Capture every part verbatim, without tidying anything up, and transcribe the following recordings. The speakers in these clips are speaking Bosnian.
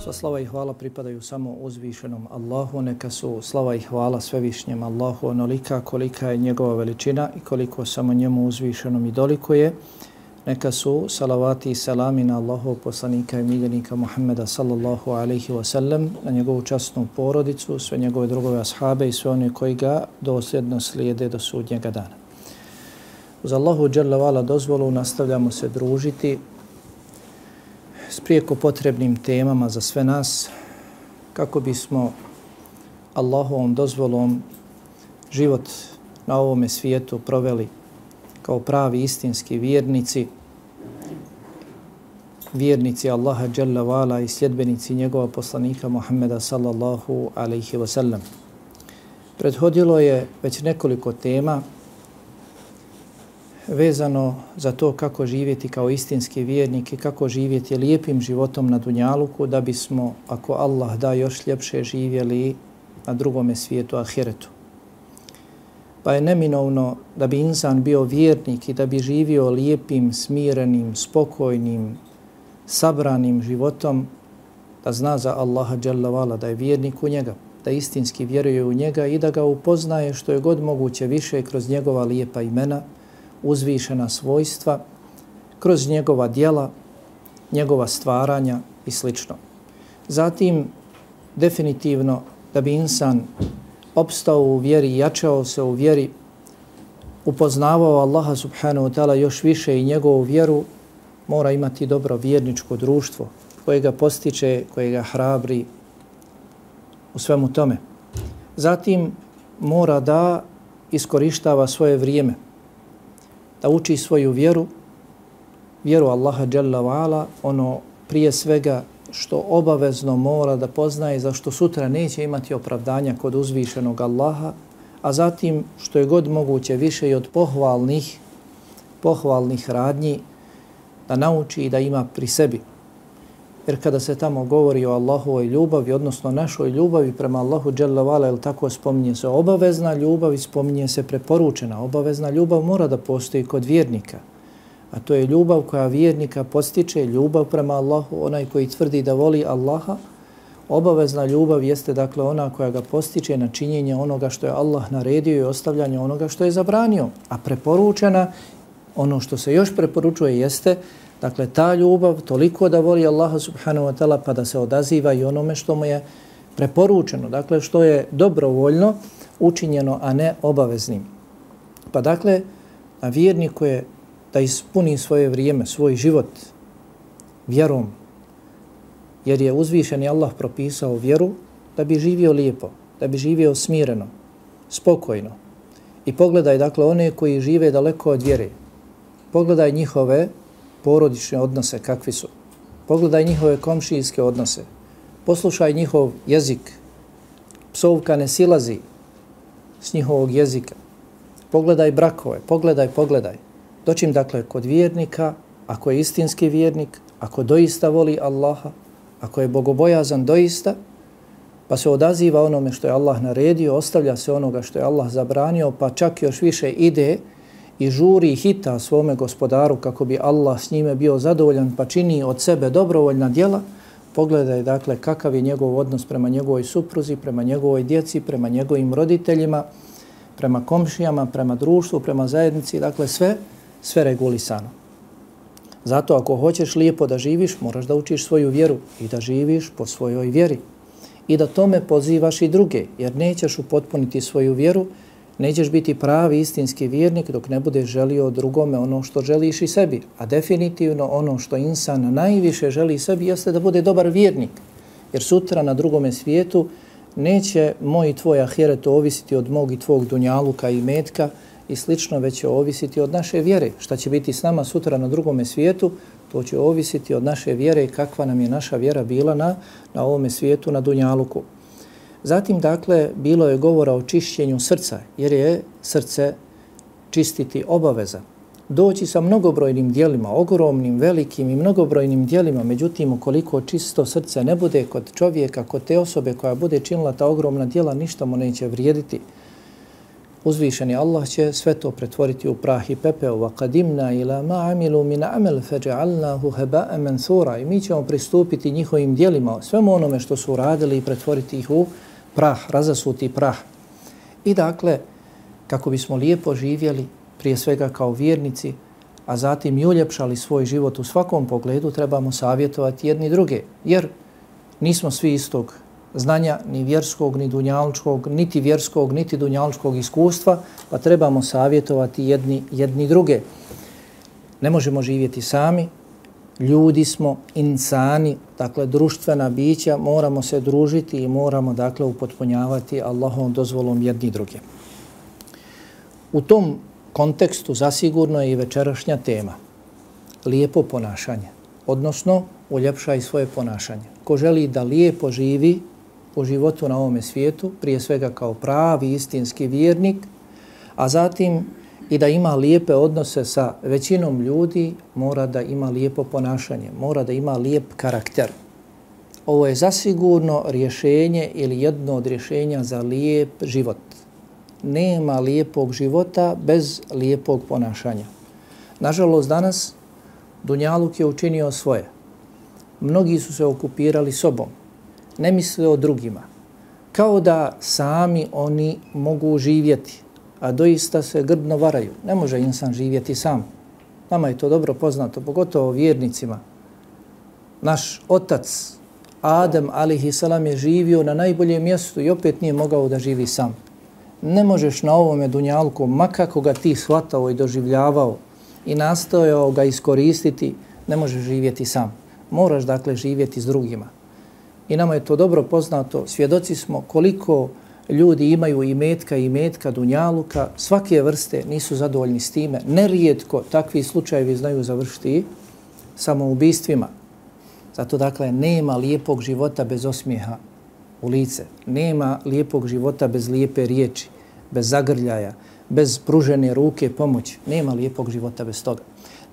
Sva slava i hvala pripadaju samo uzvišenom Allahu, neka su slava i hvala svevišnjem Allahu onolika kolika je njegova veličina i koliko samo njemu uzvišenom i dolikuje. Neka su salavati i salami na Allahov poslanika i miljenika Muhammeda sallallahu alaihi wa sallam, na njegovu časnu porodicu, sve njegove drugove ashabe i sve one koji ga dosljedno slijede do sudnjega dana. Uz Allahu dželle vala dozvolu nastavljamo se družiti s prijeko potrebnim temama za sve nas, kako bismo Allahovom dozvolom život na ovome svijetu proveli kao pravi istinski vjernici, vjernici Allaha dželle vala i sljedbenici njegova poslanika Muhammeda sallallahu alaihi wa sallam. Prethodilo je već nekoliko tema vezano za to kako živjeti kao istinski vjernik i kako živjeti lijepim životom na dunjaluku da bismo, ako Allah da, još ljepše živjeli na drugome svijetu, ahiretu. Pa je neminovno da bi insan bio vjernik i da bi živio lijepim, smirenim, spokojnim, sabranim životom, da zna za Allaha dželle vala, da je vjernik u njega, da istinski vjeruje u njega i da ga upoznaje što je god moguće više kroz njegova lijepa imena, uzvišena svojstva, kroz njegova djela, njegova stvaranja i sl. Zatim, definitivno, da bi insan opstao u vjeri, jačao se u vjeri, upoznavao Allaha subhanahu wa ta'ala još više i njegovu vjeru, mora imati dobro vjerničko društvo koje ga postiče, koje ga hrabri u svemu tome. Zatim, mora da iskorištava svoje vrijeme, da uči svoju vjeru, vjeru Allaha dželle vala, ono prije svega što obavezno mora da poznaje, za što sutra neće imati opravdanja kod uzvišenog Allaha, a zatim što je god moguće više i od pohvalnih, pohvalnih radnji da nauči i da ima pri sebi. Jer kada se tamo govori o Allahovoj ljubavi, odnosno našoj ljubavi prema Allahu dželle vala, jel tako, spominje se obavezna ljubav i spominje se preporučena. Obavezna ljubav mora da postoji kod vjernika, a to je ljubav koja vjernika postiče, ljubav prema Allahu, onaj koji tvrdi da voli Allaha. Obavezna ljubav jeste dakle ona koja ga postiče na činjenje onoga što je Allah naredio i ostavljanje onoga što je zabranio. A preporučena, ono što se još preporučuje jeste dakle ta ljubav toliko da voli Allaha subhanahu wa ta'ala pa da se odaziva i onome što mu je preporučeno, dakle što je dobrovoljno učinjeno, a ne obaveznim. Pa dakle, na vjerniku je da ispuni svoje vrijeme, svoj život vjerom, jer je uzvišeni Allah propisao vjeru da bi živio lijepo, da bi živio smireno, spokojno. I pogledaj dakle one koji žive daleko od vjere, pogledaj njihove porodične odnose kakvi su, pogledaj njihove komšijske odnose, poslušaj njihov jezik, psovka ne silazi s njihovog jezika, pogledaj brakove, pogledaj, pogledaj. Dočim dakle kod vjernika, ako je istinski vjernik, ako doista voli Allaha, ako je bogobojazan doista, pa se odaziva onome što je Allah naredio, ostavlja se onoga što je Allah zabranio, pa čak još više ide i žuri i hita svome gospodaru kako bi Allah s njime bio zadovoljan, pa čini od sebe dobrovoljna djela. Pogledaj dakle kakav je njegov odnos prema njegovoj supruzi, prema njegovoj djeci, prema njegovim roditeljima, prema komšijama, prema društvu, prema zajednici, dakle sve, sve regulisano. Zato ako hoćeš lijepo da živiš, moraš da učiš svoju vjeru i da živiš po svojoj vjeri. I da tome pozivaš i druge, jer nećeš upotpuniti svoju vjeru, nećeš biti pravi istinski vjernik dok ne budeš želio drugome ono što želiš i sebi. A definitivno ono što insan najviše želi sebi jeste da bude dobar vjernik. Jer sutra na drugome svijetu neće moj i tvoj ahiret ovisiti od mog i tvog dunjaluka i metka i slično, već će ovisiti od naše vjere. Šta će biti s nama sutra na drugome svijetu, to će ovisiti od naše vjere i kakva nam je naša vjera bila na, na ovome svijetu, na dunjaluku. Zatim, dakle, bilo je govora o čišćenju srca, jer je srce čistiti obaveza. Doći sa mnogobrojnim dijelima, ogromnim, velikim i mnogobrojnim dijelima, međutim, ukoliko čisto srce ne bude kod čovjeka, kod te osobe koja bude činila ta ogromna dijela, ništa mu neće vrijediti. uzvišeni Allah će sve to pretvoriti u prah i pepeo. وَقَدِمْنَا إِلَى مَا عَمِلُوا مِنَ عَمَلْ فَجَعَلْنَاهُ هَبَاءً مَنْثُورًا. I mi ćemo pristupiti njihovim djelima, svemu onome što su uradili i pretvoriti ih u prah, razasuti prah. I dakle, kako bismo lijepo živjeli, prije svega kao vjernici, a zatim i uljepšali svoj život u svakom pogledu, trebamo savjetovati jedni druge, jer nismo svi istog znanja, ni vjerskog, ni dunjalučkog, niti vjerskog, niti dunjalučkog iskustva, pa trebamo savjetovati jedni, jedni druge. Ne možemo živjeti sami, ljudi smo, insani, dakle društvena bića, moramo se družiti i moramo dakle upotpunjavati Allahovom dozvolom jedni druge. U tom kontekstu zasigurno je i večerašnja tema. Lijepo ponašanje, odnosno uljepšaj svoje ponašanje. Ko želi da lijepo živi u životu na ovome svijetu, prije svega kao pravi istinski vjernik, a zatim i da ima lijepe odnose sa većinom ljudi, mora da ima lijepo ponašanje, mora da ima lijep karakter. Ovo je zasigurno rješenje ili jedno od rješenja za lijep život. Nema lijepog života bez lijepog ponašanja. Nažalost, danas dunjaluk je učinio svoje. Mnogi su se okupirali sobom, ne misle o drugima. Kao da sami oni mogu živjeti, a doista se grdno varaju. Ne može insan živjeti sam. Nama je to dobro poznato, pogotovo vjernicima. Naš otac Adem alejhi selam je živio na najboljem mjestu i opet nije mogao da živi sam. Ne možeš na ovome dunjalku, ma kako ga ti shvatao i doživljavao i nastojao ga iskoristiti, ne možeš živjeti sam. Moraš dakle živjeti s drugima. I nama je to dobro poznato, svjedoci smo koliko ljudi imaju imetka i imetka dunjaluka, svake vrste nisu zadovoljni s time. Nerijetko takvi slučajevi znaju završiti samoubistvima. Zato dakle nema lijepog života bez osmijeha u lice. Nema lijepog života bez lijepe riječi, bez zagrljaja, bez pružene ruke pomoći. Nema lijepog života bez toga.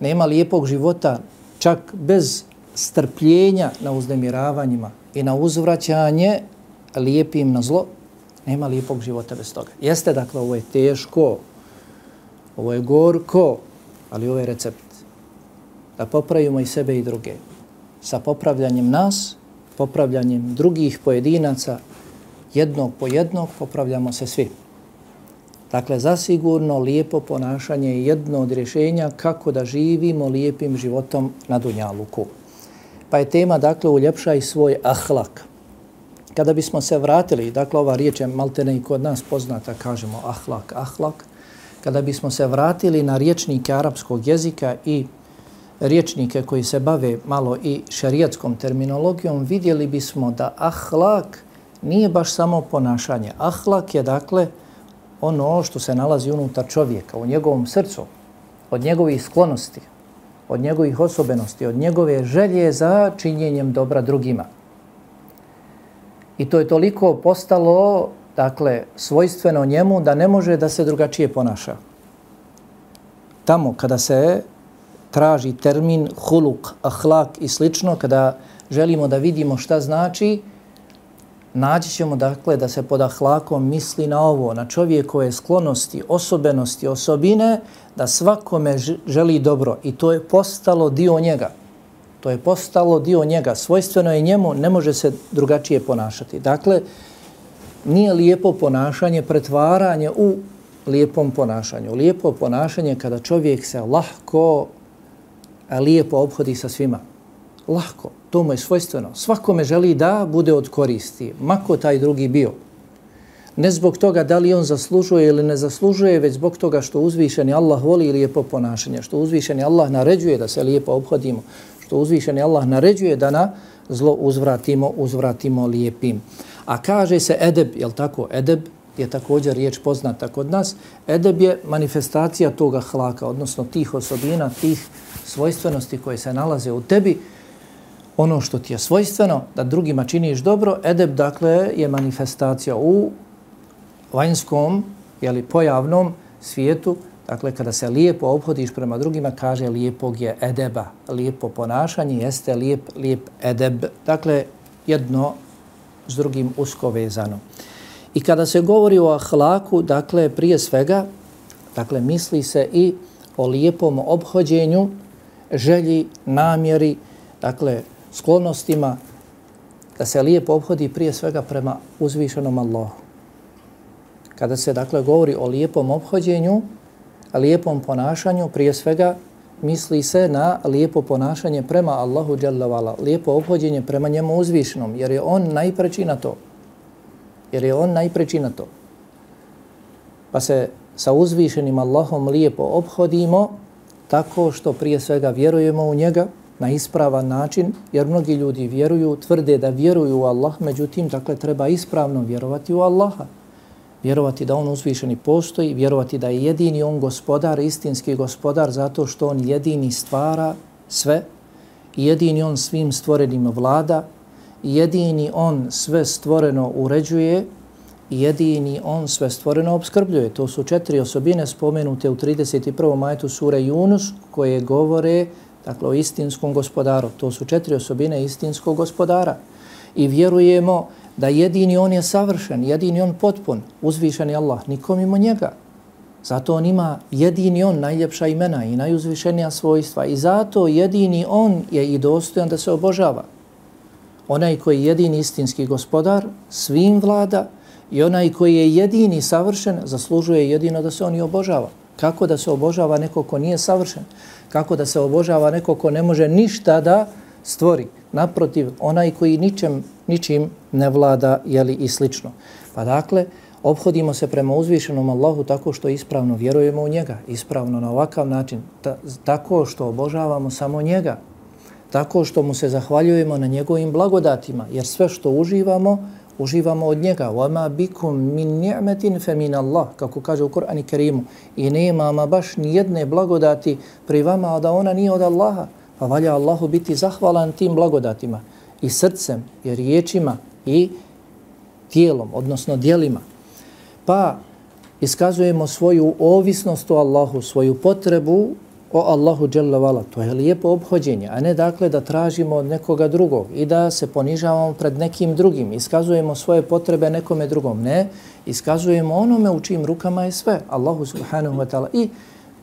Nema lijepog života čak bez strpljenja na uznemiravanjima i na uzvraćanje lijepim na zlo. Nema lijepog života bez toga. Jeste, dakle, ovo je teško, ovo je gorko, ali ovo je recept. Da popravimo i sebe i druge. Sa popravljanjem nas, popravljanjem drugih pojedinaca, jednog po jednog, popravljamo se svi. Dakle, zasigurno lijepo ponašanje je jedno od rješenja kako da živimo lijepim životom na dunjaluku. Pa je tema, dakle, uljepšaj svoj ahlak. Kada bismo se vratili, dakle, ova riječ je maltene i kod nas poznata, kažemo ahlak, ahlak. Kada bismo se vratili na riječnike arapskog jezika i riječnike koji se bave malo i šerijatskom terminologijom, vidjeli bismo da ahlak nije baš samo ponašanje. Ahlak je, dakle, ono što se nalazi unutar čovjeka, u njegovom srcu, od njegovih sklonosti, od njegovih osobenosti, od njegove želje za činjenjem dobra drugima. I to je toliko postalo, dakle, svojstveno njemu da ne može da se drugačije ponaša. Tamo kada se traži termin huluk, ahlak i slično, kada želimo da vidimo šta znači, naći ćemo, dakle, da se pod ahlakom misli na ovo, na čovjekove sklonosti, osobenosti, osobine, da svakome želi dobro i to je postalo dio njega. To je postalo dio njega, svojstveno je njemu, ne može se drugačije ponašati. Dakle, nije lijepo ponašanje pretvaranje u lijepom ponašanju. Lijepo ponašanje kada čovjek se lahko, a lijepo obhodi sa svima. Lahko, to mu je svojstveno. Svakome želi da bude od koristi, mako taj drugi bio. Ne zbog toga da li on zaslužuje ili ne zaslužuje, već zbog toga što uzvišeni Allah voli lijepo ponašanje, što uzvišeni Allah naređuje da se lijepo obhodimo, što uzvišeni Allah naređuje da na zlo uzvratimo, uzvratimo lijepim. A kaže se edeb, jel tako? Edeb je također riječ poznata kod nas. Edeb je manifestacija toga hlaka, odnosno tih osobina, tih svojstvenosti koje se nalaze u tebi. Ono što ti je svojstveno, da drugima činiš dobro, edeb, dakle, je manifestacija u vanjskom, jeli, pojavnom svijetu. Dakle, kada se lijepo obhodiš prema drugima, kaže lijepog je edeba. Lijepo ponašanje jeste lijep, lijep edeb. Dakle, jedno s drugim usko vezano. I kada se govori o ahlaku, dakle, prije svega, dakle, misli se i o lijepom ophođenju, želji, namjeri, dakle, sklonostima, da se lijepo ophodi prije svega prema uzvišenom Allahu. Kada se, dakle, govori o lijepom ophođenju, lijepom ponašanju, prije svega misli se na lijepo ponašanje prema Allahu dželle vala, lijepo ophođenje prema njemu uzvišenom, jer je on najpreči na to. Jer je on najpreči na to. Pa se sa uzvišenim Allahom lijepo ophodimo tako što prije svega vjerujemo u njega na ispravan način, jer mnogi ljudi vjeruju, tvrde da vjeruju u Allah, međutim, dakle, treba ispravno vjerovati u Allaha. Vjerovati da on uzvišeni postoji, vjerovati da je jedini on gospodar, istinski gospodar, zato što on jedini stvara sve, jedini on svim stvorenim vlada, jedini on sve stvoreno uređuje i jedini on sve stvoreno obskrbljuje. To su četiri osobine spomenute u trideset prvom ajetu sure Yunus koje govore, dakle, o istinskom gospodaru. To su četiri osobine istinskog gospodara. I vjerujemo da jedini on je savršen, jedini on potpun, uzvišen je Allah, nikom mimo njega. Zato on ima jedini on najljepša imena i najuzvišenija svojstva i zato jedini on je i dostojan da se obožava. Onaj koji je jedini istinski gospodar svim vlada i onaj koji je jedini savršen zaslužuje jedino da se on i obožava. Kako da se obožava neko ko nije savršen? Kako da se obožava neko ko ne može ništa da stvori? Naprotiv, onaj koji ničem, ničim ne vlada, jeli, i slično. Pa dakle, ophodimo se prema uzvišenom Allahu tako što ispravno vjerujemo u njega, ispravno na ovakav način, ta, tako što obožavamo samo njega, tako što mu se zahvaljujemo na njegovim blagodatima, jer sve što uživamo, uživamo od njega. وَمَا بِكُمْ مِنْ نِعْمَةٍ فَمِنَ اللَّهِ, kako kaže u Kur'anu Kerimu. I nema ama baš ni jedne blagodati pri vama, a da ona nije od Allaha. Pa valja Allahu biti zahvalan tim blagodatima i srcem, i riječima, i tijelom, odnosno dijelima. Pa iskazujemo svoju ovisnost o Allahu, svoju potrebu o Allahu dželle vala. To je lijepo ophođenje, a ne dakle da tražimo od nekoga drugog i da se ponižavamo pred nekim drugim. Iskazujemo svoje potrebe nekome drugom. Ne, iskazujemo onome u čijim rukama je sve. Allahu subhanahu wa ta'ala i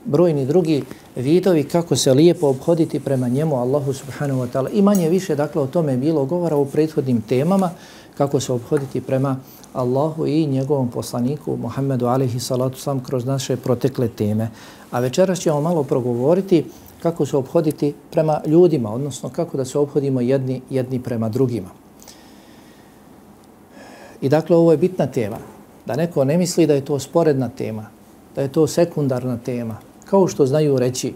brojni drugi vidovi kako se lijepo ophoditi prema njemu, Allahu subhanahu wa ta'ala. I manje više, dakle, o tome je bilo govora u prethodnim temama, kako se ophoditi prema Allahu i njegovom poslaniku Muhammedu alejhi salatu selam kroz naše protekle teme. A večeras ćemo malo progovoriti kako se ophoditi prema ljudima, odnosno kako da se ophodimo jedni, jedni prema drugima. I dakle, ovo je bitna tema. Da neko ne misli da je to sporedna tema, da je to sekundarna tema. Kao što znaju reći,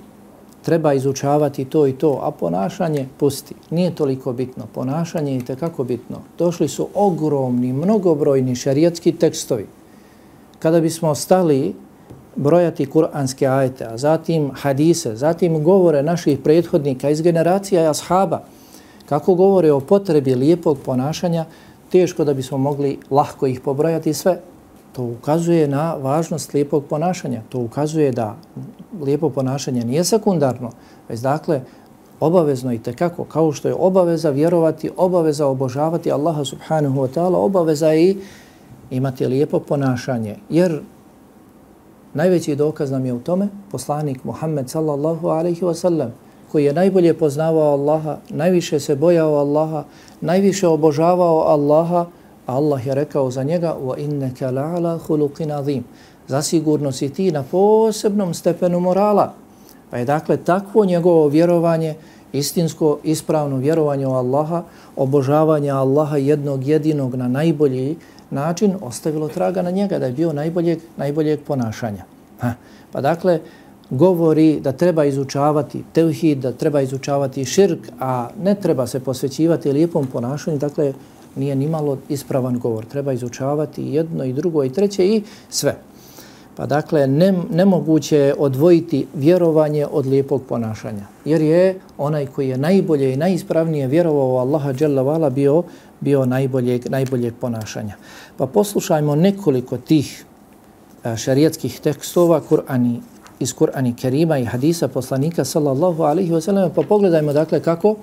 treba izučavati to i to, a ponašanje pusti. Nije toliko bitno. Ponašanje je tekako bitno. Došli su ogromni, mnogobrojni šerijatski tekstovi. Kada bismo stali brojati kuranske ajete, a zatim hadise, zatim govore naših prethodnika iz generacija i ashaba, kako govore o potrebi lijepog ponašanja, teško da bismo mogli lahko ih pobrojati sve. To ukazuje na važnost lijepog ponašanja. To ukazuje da lijepo ponašanje nije sekundarno, već dakle obavezno i tekako, kao što je obaveza vjerovati, obaveza obožavati Allaha subhanahu wa ta'ala, obaveza je i imati lijepo ponašanje. Jer najveći dokaz nam je u tome poslanik Muhammed sallallahu alaihi wa sallam, koji je najbolje poznavao Allaha, najviše se bojao Allaha, najviše obožavao Allaha, a Allah je rekao za njega وَإِنَّكَ لَعَلَى خُلُقٍ عَظِيمٍ, zasigurno si ti na posebnom stepenu morala. Pa je dakle takvo njegovo vjerovanje, istinsko, ispravno vjerovanje u Allaha, obožavanje Allaha jednog jedinog na najbolji način ostavilo traga na njega, da je bio najboljeg, najboljeg ponašanja. Ha. Pa dakle, govori da treba izučavati tevhid, da treba izučavati širk, a ne treba se posvećivati lijepom ponašanju, dakle, nije ni malo ispravan govor. Treba izučavati jedno i drugo i treće i sve. Pa dakle, ne, nemoguće je odvojiti vjerovanje od lijepog ponašanja. Jer je onaj koji je najbolje i najispravnije vjerovao u Allaha dželle vala bio, bio najboljeg, najboljeg ponašanja. Pa poslušajmo nekoliko tih šerijatskih tekstova Kur'ani, iz Kur'ani Kerima i hadisa poslanika sallallahu alaihi wa sallam, pa pogledajmo dakle kako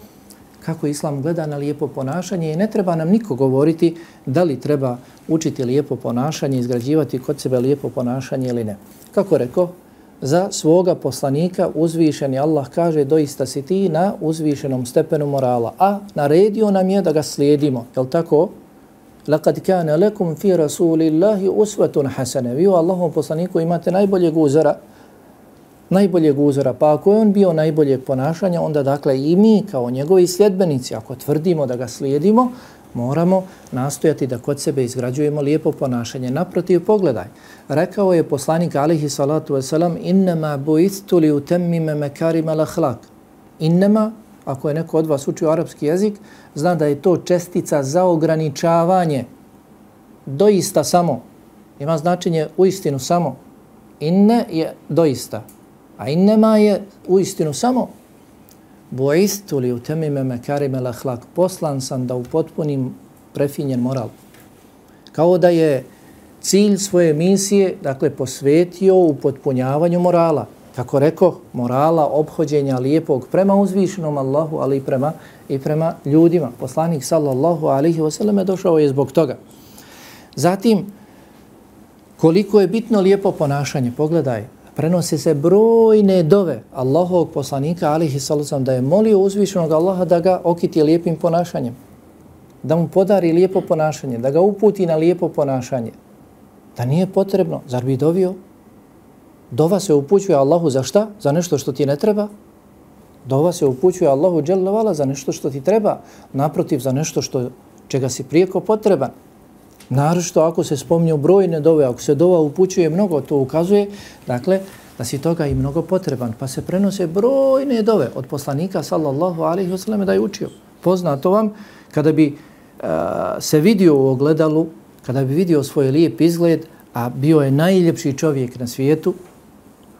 kako Islam gleda na lijepo ponašanje i ne treba nam niko govoriti da li treba učiti lijepo ponašanje, izgrađivati kod sebe lijepo ponašanje ili ne. Kako rekao, za svoga poslanika uzvišeni Allah kaže doista si ti na uzvišenom stepenu morala, a naredio nam je da ga slijedimo. Jel tako? Laqad kana lakum fi rasulillahi uswatun hasana. Vi u Allahovom poslaniku imate najboljeg uzora, najboljeg uzora. Pa ako je on bio najboljeg ponašanja, onda dakle i mi kao njegovi sljedbenici, ako tvrdimo da ga slijedimo, moramo nastojati da kod sebe izgrađujemo lijepo ponašanje. Naprotiv, pogledaj. Rekao je poslanik alejhi salatu vesselam: "Innama bu'istu li utammima makarima al-akhlaq." Innama, ako je neko od vas učio arapski jezik, zna da je to čestica za ograničavanje. Doista samo. Ima značenje uistinu samo. Inne je doista. A innema je uistinu samo. Bu'istu li utammima makarima al-akhlaq. Poslan sam da upotpunim prefinjen moral. Kao da je cilj svoje misije, dakle, posvetio upotpunjavanju morala. Kako rekao, morala ophođenja lijepog prema uzvišenom Allahu, ali i prema, i prema ljudima. Poslanik sallallahu alaihi wasallam došao je zbog toga. Zatim, koliko je bitno lijepo ponašanje, pogledaj, prenose se brojne dove Allahovog poslanika alaihi sallam da je molio uzvišenog Allaha da ga okiti lijepim ponašanjem, da mu podari lijepo ponašanje, da ga uputi na lijepo ponašanje. Da nije potrebno, zar bi dovio? Dova se upućuje Allahu za šta? Za nešto što ti ne treba? Dova se upućuje Allahu dželle vala za nešto što ti treba, naprotiv za nešto što čega si prijeko potreban. Naročito ako se spominju brojne dove, ako se dova upućuje mnogo, to ukazuje, dakle, da si toga i mnogo potreban. Pa se prenose brojne dove od poslanika sallallahu alejhi ve sellem da je učio. Poznato vam, kada bi uh, se vidio u ogledalu, kada bi vidio svoj lijep izgled, a bio je najljepši čovjek na svijetu,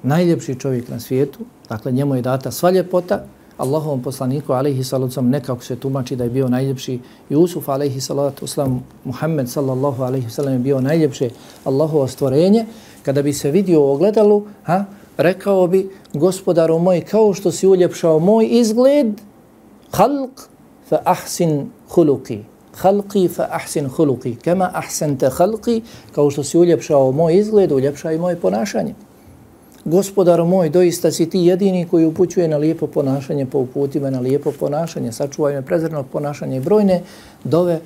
najljepši čovjek na svijetu, dakle njemu je data sva ljepota, Allahovom poslaniku alejhi salatu vesselam nekako se tumači da je bio najljepši Jusuf alejhi salatu vesselam, Muhammed sallallahu alejhi ve sellem je bio najljepše Allahovo stvorenje. Kada bi se vidio u ogledalu, ha, rekao bi: Gospodaru moj, kao što si uljepšao moj izgled, khalq fa ahsin khuluqi. Khalqi fa ahsin khuluqi. Kama ahsanta khalqi, kao što si uljepšao moj izgled, uljepšaj moje ponašanje. Gospodar moj, doista si ti jedini koji upućuje na lijepo ponašanje, pa uputi me na lijepo ponašanje, sačuvaj me prezrenog ponašanja i brojne dove,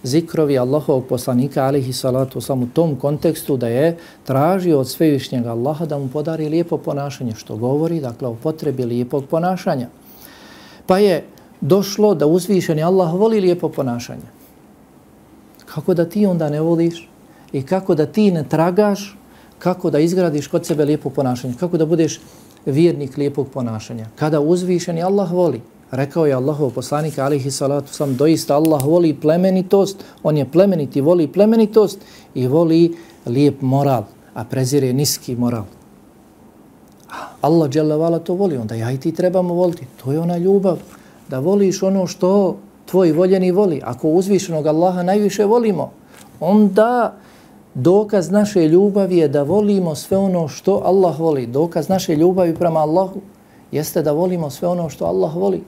zikrovi Allahovog poslanika alejhi salatu vesselam u tom kontekstu da je tražio od svevišnjeg Allaha da mu podari lijepo ponašanje, što govori, dakle, o potrebi lijepog ponašanja. Pa je došlo da uzvišeni Allah voli lijepo ponašanje. Kako da ti onda ne voliš i kako da ti ne tragaš, kako da izgradiš kod sebe lijepo ponašanje, kako da budeš vjernik lijepog ponašanja. Kada uzvišeni Allah voli, rekao je Allahov poslanik alejhi salatu vesselam, doista Allah voli plemenitost, on je plemeniti, voli plemenitost i voli lijep moral, a prezire niski moral. Allah dželle vala to voli, onda ja i ti trebamo voliti. To je ona ljubav, da voliš ono što tvoj voljeni voli. Ako uzvišenog Allaha najviše volimo, onda dokaz naše ljubavi je da volimo sve ono što Allah voli. Dokaz naše ljubavi prema Allahu jeste da volimo sve ono što Allah voli.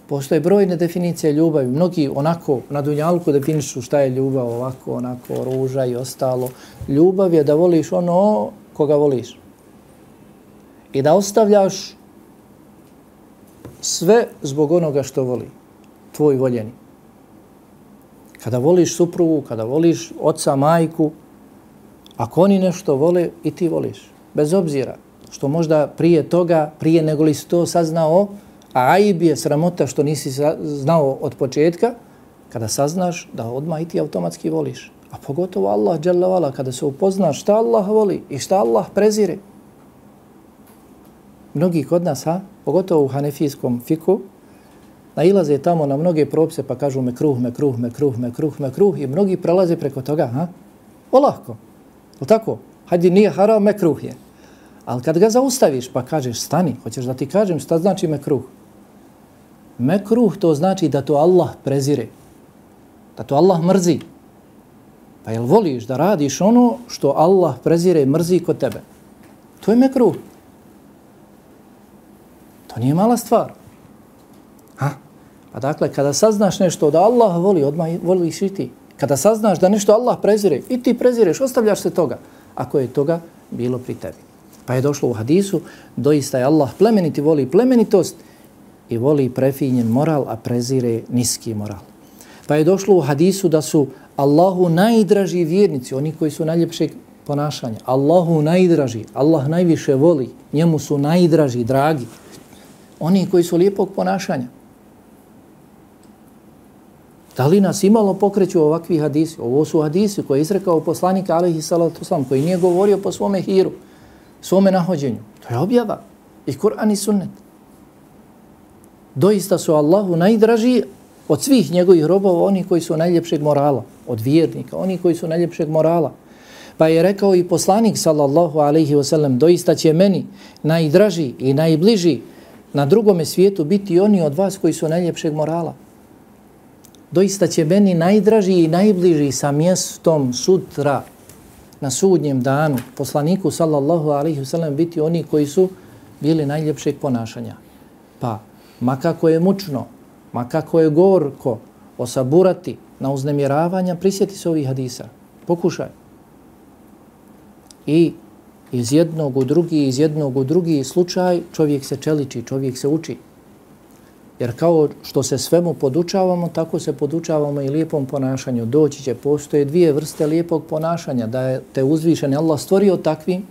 Postoje brojne definicije ljubavi. Mnogi onako na dunjalku definišu šta je ljubav, ovako, onako, ruža i ostalo. Ljubav je da voliš ono koga voliš. I da ostavljaš sve zbog onoga što voli. Tvoj voljeni. Kada voliš suprugu, kada voliš oca, majku, ako oni nešto vole, i ti voliš. Bez obzira što možda prije toga, prije nego li si to saznao, a aib je sramota što nisi znao od početka, kada saznaš da odmah i ti automatski voliš. A pogotovo Allah dželle vala, kada se upoznaš šta Allah voli i šta Allah prezire. Mnogi kod nas, ha, pogotovo u hanefijskom fiku, nailaze tamo na mnoge propise pa kažu mekruh, mekruh, mekruh, mekruh, mekruh i mnogi prelaze preko toga, ha? Olahko, je tako? Hajde, nije haram, mekruh je. Ali kad ga zaustaviš pa kažeš stani, hoćeš da ti kažem šta znači mekruh? Mekruh to znači da to Allah prezire, da to Allah mrzi. Pa jel voliš da radiš ono što Allah prezire i mrzi kod tebe? To je mekruh. To nije mala stvar. Ha? Pa dakle, kada saznaš nešto da Allah voli, odmah voliš i ti. Kada saznaš da nešto Allah prezire, i ti prezireš, ostavljaš se toga, ako je toga bilo pri tebi. Pa je došlo u hadisu, doista je Allah plemeniti, voli plemenitost i voli prefinjen moral, a prezire niski moral. Pa je došlo u hadisu da su Allahu najdraži vjernici, oni koji su najljepšeg ponašanja. Allahu najdraži, Allah najviše voli, njemu su najdraži, dragi. Oni koji su lijepog ponašanja. Da li nas imalo pokreću ovakvi hadisi? Ovo su hadisi koje je izrekao poslanik alejhi salatu vesselam, koji nije govorio po svome hiru, svome nahođenju. To je objava i Kur'an i sunnet. Doista su Allahu najdraži od svih njegovih robova, oni koji su najljepšeg morala, od vjernika, oni koji su najljepšeg morala. Pa je rekao i poslanik sallallahu alejhi ve sellem, doista će meni najdraži i najbliži na drugome svijetu biti oni od vas koji su najljepšeg morala. Doista će meni najdraži i najbliži sa mjestom sutra na sudnjem danu poslaniku sallallahu alejhi ve sellem biti oni koji su bili najljepšeg ponašanja. Pa, ma kako je mučno, ma kako je gorko osaburati na uznemiravanja, prisjeti se ovih hadisa. Pokušaj. I iz jednog u drugi, iz jednog u drugi slučaj čovjek se čeliči, čovjek se uči. Jer kao što se svemu podučavamo, tako se podučavamo i lijepom ponašanju. Doći će, postoje dvije vrste lijepog ponašanja. Da je te uzvišen Allah stvorio takvim,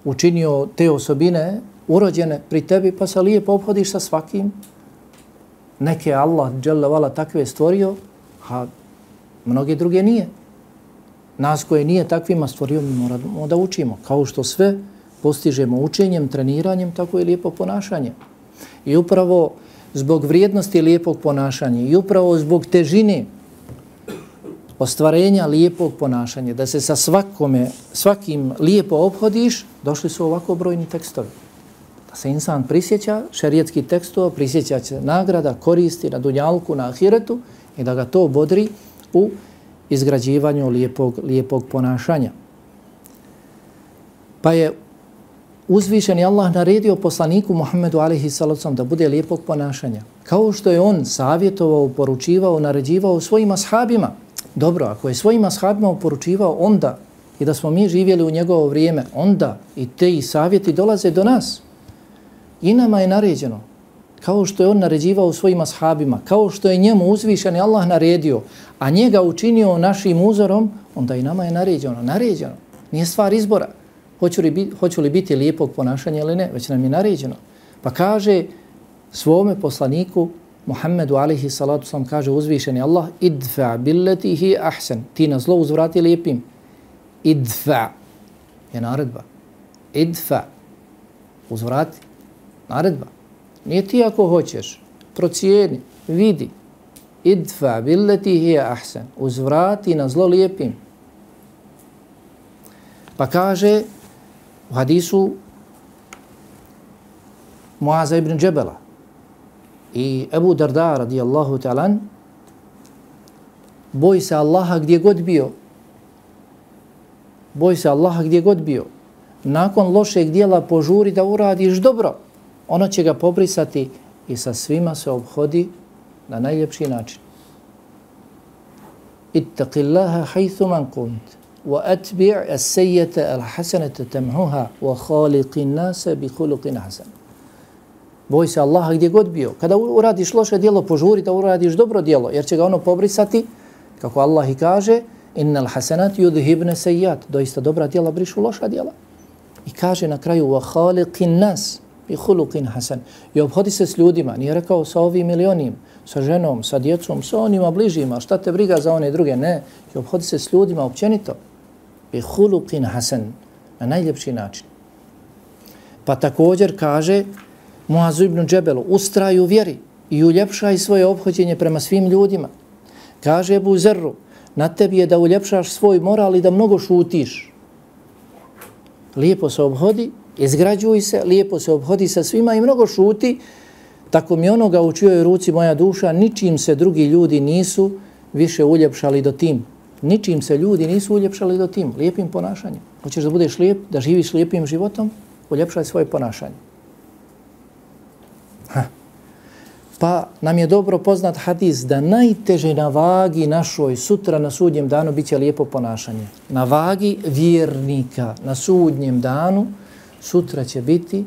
učinio te osobine urođene pri tebi, pa se lijepo obhodiš sa svakim. Neke Allah dželle vala takve stvorio, a mnoge druge nije. Nas koje nije takvima stvorio, mi moramo da učimo. Kao što sve postižemo učenjem, treniranjem, tako i lijepo ponašanje. I upravo zbog vrijednosti lijepog ponašanja i upravo zbog težine ostvarenja lijepog ponašanja, da se sa svakome, svakim lijepo obhodiš, došli su ovako brojni tekstovi. Da se insan prisjeća šerijetskih tekstova, prisjeća se nagrada, koristi na dunjalku, na ahiretu i da ga to bodri u izgrađivanju lijepog, lijepog ponašanja. Pa je uzvišeni Allah naredio poslaniku Muhammedu alejhi salatu vesselam da bude lijepog ponašanja. Kao što je on savjetovao, poručivao, naređivao svojim ashabima. Dobro, ako je svojim ashabima poručivao onda i da smo mi živjeli u njegovo vrijeme, onda i te savjeti dolaze do nas. I nama je naređeno. Kao što je on naređivao svojim ashabima, kao što je njemu uzvišeni Allah naredio, a njega učinio našim uzorom, onda i nama je naređeno. Naređeno. Nije stvar izbora. Hoću li, biti, hoću li biti lijepog ponašanja ili ne, već nam je naređeno. Pa kaže svome poslaniku Muhammedu alejhi salatu vesselam, kaže uzvišeni Allah, idfa billati hi ahsan, ti na zlo uzvrati lijepim. Idfa je naredba. Idfa, uzvrati, naredba. Nije ti ako hoćeš, procijeni, vidi. Idfa billati hi ahsan, uzvrati na zlo lijepim. Pa kaže u hadisu Muaza ibn Džebela i Ebu Darda radijallahu ta'ala, boj se Allaha gdje god bio. Boj se Allaha gdje god bio. Nakon lošeg dijela požuri da uradiš dobro. Ono će ga pobrisati i sa svima se obhodi na najljepši način. Ittaqillaha haythu man kunt. وَأَتْبِعْ السَّيَّةَ الْحَسَنَةَ تَمْحُهَا وَخَالِقِ النَّاسَ بِخُلُقٍ حَسَنٍ. Boj se Allaha gdje god bio. Kada uradiš loše djelo, požuri da uradiš dobro djelo, jer će ga ono pobrisati, kako Allah i kaže, innal hasanat yudhibna sayyiat. Doista dobra djela brišu loša djela. I kaže na kraju وَخَالِقِ النَّاسَ بِخُلُقٍ حَسَنٍ. I obhodi se s ljudima. Nije rekao sa ovim ili onim, sa ženom, sa djecom, sa onima bližima, šta te briga za one druge, ne. I obhodi se s ljudima općenito. Bi huluqin hasan, na najljepši način. Pa također kaže Muazu ibn Džebelu, ustraj u vjeri i uljepšaj svoje ophođenje prema svim ljudima. Kaže Ebu Zerru, na tebi je da uljepšaš svoj moral i da mnogo šutiš. Lijepo se obhodi, izgrađuj se, lijepo se obhodi sa svima i mnogo šuti, tako mi onoga u čijoj ruci moja duša, ničim se drugi ljudi nisu više uljepšali do tim. Ničim se ljudi nisu uljepšali do tim, lijepim ponašanjem. Hoćeš da budeš lijep, da živiš lijepim životom, uljepšaj svoje ponašanje. Ha. Pa nam je dobro poznat hadis da najteže na vagi našoj sutra na sudnjem danu bit će lijepo ponašanje. Na vagi vjernika na sudnjem danu sutra će biti